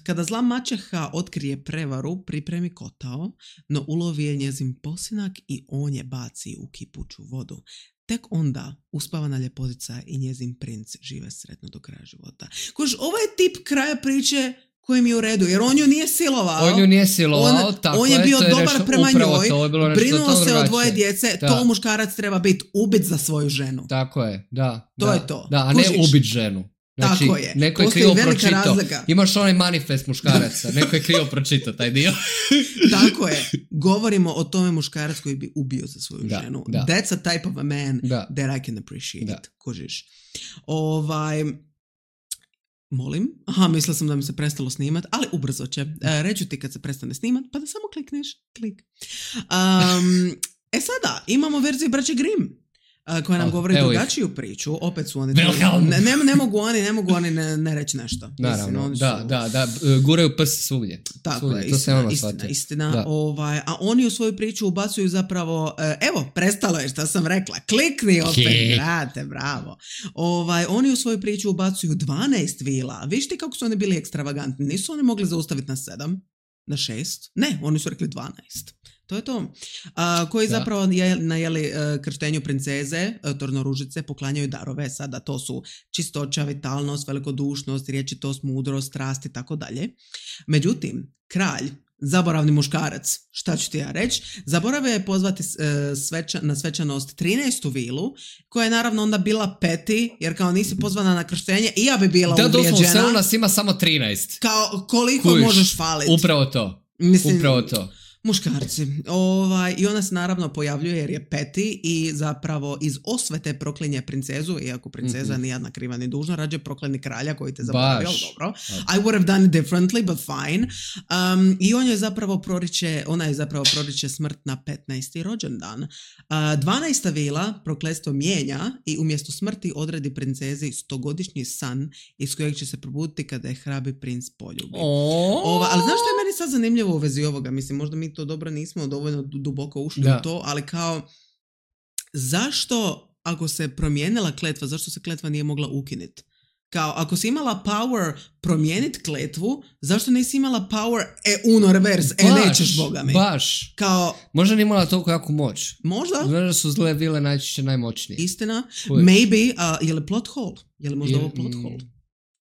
kada zla maćeha otkrije prevaru, pripremi kotao, no ulovi je njezin posinak i on je baci u kipuću vodu. Tek onda uspavana ljepotica i njezin princ žive sretno do kraja života. Kož, ovo je tip kraja priče koji mi je u redu, jer on ju nije silovao. On ju nije silovao, on, tako on je bio je, dobar nešto, prema njoj, brinuo se o dvoje djece, da. To muškarac treba biti ubit za svoju ženu. Tako je, da. To da, je to. Da, a ne Kužiš? Ubit ženu. Znači, tako je. Neko je krivo pročitao. Imaš onaj manifest muškaraca. Neko je krivo pročitao taj dio. Tako je. Govorimo o tome muškarac koji bi ubio za svoju da, ženu. Da. That's a type of a man da. that I can appreciate. Da. Kužiš. Ovaj... Molim? Aha, mislila sam da mi se prestalo snimat, ali ubrzo će. E, reću ti kad se prestane snimat, pa da samo klikneš. Klik. Um, e sada, imamo verziju braće Grimm. Koja nam oh, govori drugačiju ih. Priču, opet su oni ne, ne, ne mogu oni ne mogu oni ne, ne reći nešto. Naravno, Mislim, da, su... da, da, guraju prst svugdje. Tako svugdje. je, to istina, se istina, istina ovaj, a oni u svoju priču ubacuju zapravo, evo, prestalo je što sam rekla, klikni opet, okay. Brate, bravo. Ovaj, oni u svoju priču ubacuju dvanaest vila, viš ti kako su oni bili ekstravagantni, nisu oni mogli zaustaviti na sedam, na šest, ne, oni su rekli dvanaest. To je to. Uh, koji da. Zapravo je, na jeli, uh, krštenju princeze, uh, Trnoružice, poklanjaju darove. Sada to su čistoća, vitalnost, velikodušnost, riječitost, mudrost, strast i tako dalje. Međutim, kralj, zaboravni muškarac, šta ću ti ja reći, zaboravio je pozvati e, sveča, na svečanost trinaestu vilu, koja je naravno onda bila peti, jer kao nisi pozvana na krštenje i ja bi bila da, uvrijeđena. Da, doslovno, sve u nas ima samo trinaest. Kao koliko Kuš, možeš faliti. Upravo to. Mislim, upravo to. Muškarci. Ovaj, I ona se naravno pojavljuje jer je peti i zapravo iz osvete proklinje princezu, iako princeza mm-hmm. nijedna kriva ni dužna, rađe prokleni kralja koji te zaboravio, dobro. I would have done it differently, but fine. Um, I on je zapravo proriče, ona je zapravo proriče smrt na petnaesti rođendan. Uh, dvanaesta vila prokletstvo mijenja i umjesto smrti odredi princezi stogodišnji san iz kojeg će se probuditi kada je hrabi princ poljubi. Oh. Ova, ali znaš što je meni sad zanimljivo u vezi ovoga? Mislim, možda mi to dobro nismo dovoljno duboko ušli da. u to, ali kao zašto ako se promijenila kletva, zašto se kletva nije mogla ukinuti? Kao ako si imala power promijeniti kletvu, zašto nisi imala power e uno reverse, e nećeš boga mi? Baš. Kao, možda nije imala toliko jaku moć. Možda. Znaš da su zle vile najčešće najmoćnije. Istina. Kužiš. Maybe, uh, je li plot hole? Je li možda je, ovo plot hole?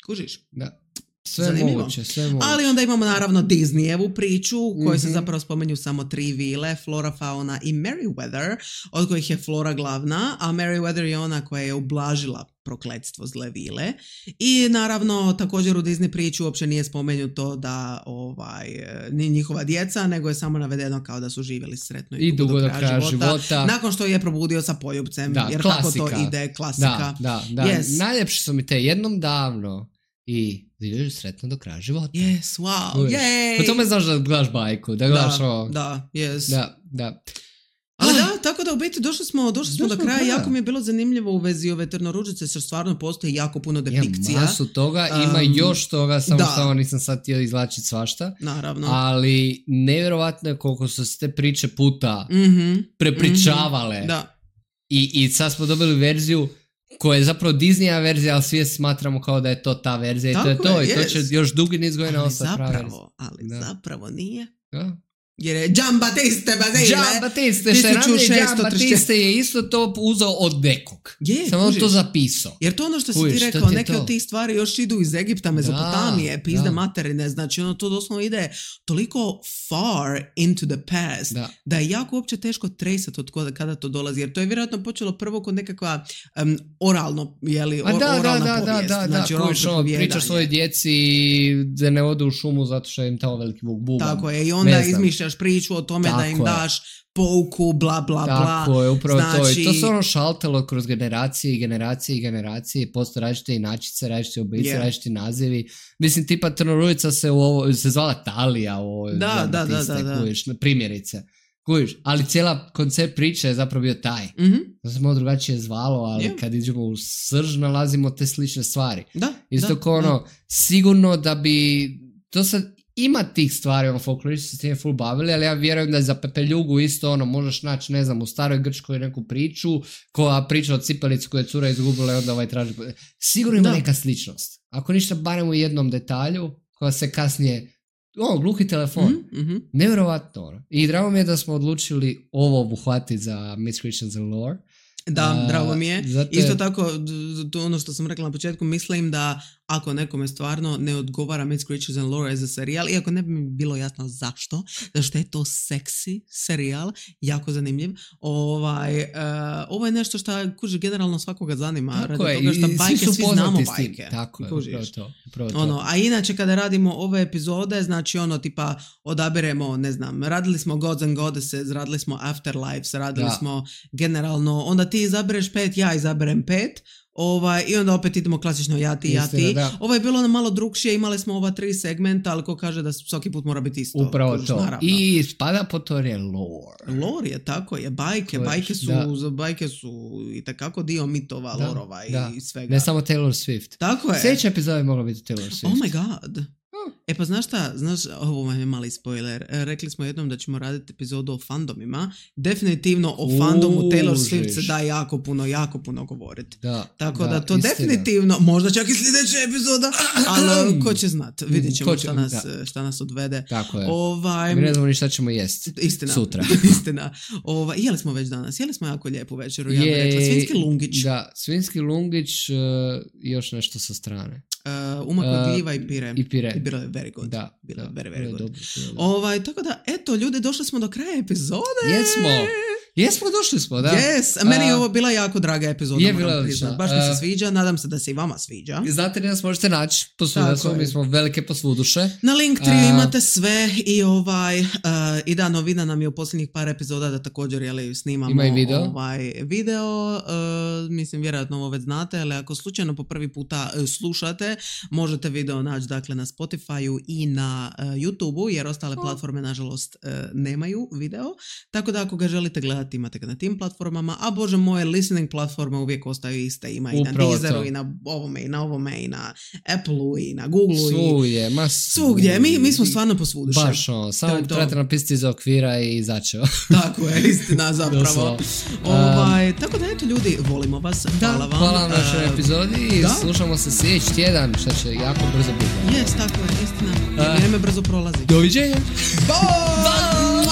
Kužiš? Da. Sve moguće, sve moguće. Ali onda imamo naravno Disneyevu priču u kojoj mm-hmm. se zapravo spomenju samo tri vile, Flora, Fauna i Merryweather, od kojih je Flora glavna, a Merryweather je ona koja je ublažila prokletstvo zle vile. I naravno također u Disney priči uopće nije spomenuto da ovaj, ni njihova djeca, nego je samo navedeno kao da su živjeli sretno i, I dugo do kraja života, života. Nakon što je probudio sa poljubcem, da, jer klasika. tako to ide, klasika. Da, da, da. Yes. Najljepše su mi te jednom davno i živjeli sretno do kraja života. Yes, wow, yay! Po tome znaš da gledaš bajku, da gledaš da, ovo. Da, yes. Da, da. Ali da, tako da u biti došli smo, došli smo do kraja. Kraja. Jako mi je bilo zanimljivo u vezi ove Trnoružice, jer stvarno postoji jako puno depikcija. Ima masu toga, um, ima još toga, samo da. Samo nisam sad htio izlačiti svašta. Naravno. Ali nevjerovatno je koliko su se te priče puta mm-hmm. prepričavale. Mm-hmm. Da. I, I sad smo dobili verziju koja je zapravo Disneya verzija, ali svi smatramo kao da je to ta verzija. Tako i to je to. Je, I to će yes. još dugi niz godina ostati pravi. Ali da. zapravo nije. Da. Jer je Gian Battiste Basile. Gian Battiste, što je ranije Gian Battiste je isto to uzeo od nekog. Je, samo on to zapisao. Jer to ono što si kužiš, ti rekao, neke to? Od tih stvari još idu iz Egipta, Mezopotamije, pizde materine, znači ono to doslovno ide toliko far into the past, da, da je jako uopće teško tresati od kada, kada to dolazi. Jer to je vjerojatno počelo prvo kod nekakva um, oralno, jeli, or, da, oralna da, povijest. Da, da, znači, da, kužiš, ono, pričaš svoje djeci da ne ode u šumu zato što im tamo veliki vuk bubam. Tako je, i onda izmišljaš priču o tome tako da im daš pouku, bla, bla, bla. Tako je, upravo znači... to. I to se ono šaltalo kroz generacije i generacije i generacije. Postoje različite inačice, različite oblici, yeah. različiti nazivi. Mislim, tipa Trnorujica se u ovo, se zvala Talija u ovoj da, da, da, da, da. Kujiš, primjerice. Kujiš, ali cijela koncept priče je zapravo bio taj. Mm-hmm. To se malo drugačije zvalo, ali yeah. kad idemo u srž nalazimo te slične stvari. Da, isto da, kao ono, da. sigurno da bi... To sad ima tih stvari, ono, folkloristi se s tim full bavili, ali ja vjerujem da je za Pepeljugu isto, ono, možeš naći, ne znam, u staroj Grčkoj neku priču, koja priča o cipelici koju je cura izgubila i onda ovaj traži... Sigurno ima da. neka sličnost. Ako ništa, barem u jednom detalju, koja se kasnije... O, gluhi telefon. Mm-hmm. Nevjerovatno, ono. I drago mi je da smo odlučili ovo obuhvatiti za Myths, Creatures and Lore. Da, uh, drago mi je. Zato... Isto tako, to ono što sam rekla na početku, mislim da ako nekome stvarno ne odgovara Myths, Creatures and Lore za serijal, iako ne bi mi bilo jasno zašto, zašto je to seksi serijal, jako zanimljiv, ovaj, uh, ovo je nešto što kuži generalno svakoga zanima. Tako radi je, toga što bajke, svi znamo bajke. Tako je, upravo to. Upravo to. Ono, a inače kada radimo ove epizode, znači ono tipa odabiremo, ne znam, radili smo Gods and Goddesses, radili smo Afterlives, radili da. smo generalno, onda ti izabereš pet, ja izaberem pet, ovaj, i onda opet idemo klasično ja ti, ja ti. Ovo je bilo malo drugšije, imali smo ova tri segmenta, ali ko kaže da svaki put mora biti isto. Upravo kožiš, to. Naravno. I spada po to je lore. Lore je tako, je bajke, Kojiš, bajke su, da. bajke su i takako dio mitova, da, lorova da. i svega. Ne samo Taylor Swift. Tako je. Sljedeća epizoda je mogla biti Taylor Swift. Oh my god. E pa znaš šta, znaš, ovo vam je mali spoiler, rekli smo jednom da ćemo raditi epizodu o fandomima, definitivno o fandomu Taylor Swift se da jako puno, jako puno govoriti. Da, tako da, da to istina. definitivno, možda čak i sljedeća epizoda, ali ko će znat, vidit ćemo šta nas, šta nas odvede. Tako je, ovaj, mi ne znamo ni šta ćemo jest istina, sutra. Istina, ovaj, jeli smo već danas, jeli smo jako lijepu večeru, ja bih rekla, svinjski lungić. Da, svinjski lungić i uh, još nešto sa strane. Uh, umakla Uh, gljiva i pire. I pire. I bilo je very good. Da, bilo je da, very, very bilo je good. dobro, bilo je dobro. Ovaj, tako da, eto, ljudi, došli smo do kraja epizode. Jesmo. Jesmo, došli smo, da. Yes, meni je Uh, ovo bila jako draga epizoda, je moram bila priznat. odlična. Baš mi se Uh, sviđa, nadam se da se i vama sviđa. Znate li nas možete naći posvuda Tako smo, je. mi smo velike posvuduše. Na Linktree A- imate sve i ovaj, uh, i da, novina nam je u posljednjih par epizoda da također, jeli, snimamo Ima i video. ovaj video, uh, mislim, vjerojatno ovo već znate, ali ako slučajno po prvi puta uh, slušate, možete video naći, dakle, na Spotify-u i na uh, YouTube-u, jer ostale platforme, nažalost, uh, nemaju video, tako da ako ga želite gledati, imate ga na tim platformama, a bože moje, listening platforme uvijek ostaju iste, ima i Upravo na Deezeru, to. i na ovome, i na ovome, i na Apple-u, i na Google-u, i Svugdje, ma svugdje. Mi, mi smo stvarno posvuduše. Baš ono, To samo je to. trebate napisati iz okvira i začeo. Tako je, istina zapravo. Doslovno. Ovaj, tako da eto ljudi, volimo vas, hvala vam. Hvala vam na našoj Uh, epizodi i da. slušamo se sljedeći tjedan, što će jako brzo biti. Jes, tako je, istina. Uh, Vrijeme brzo prolazi. Doviđenja! Bye!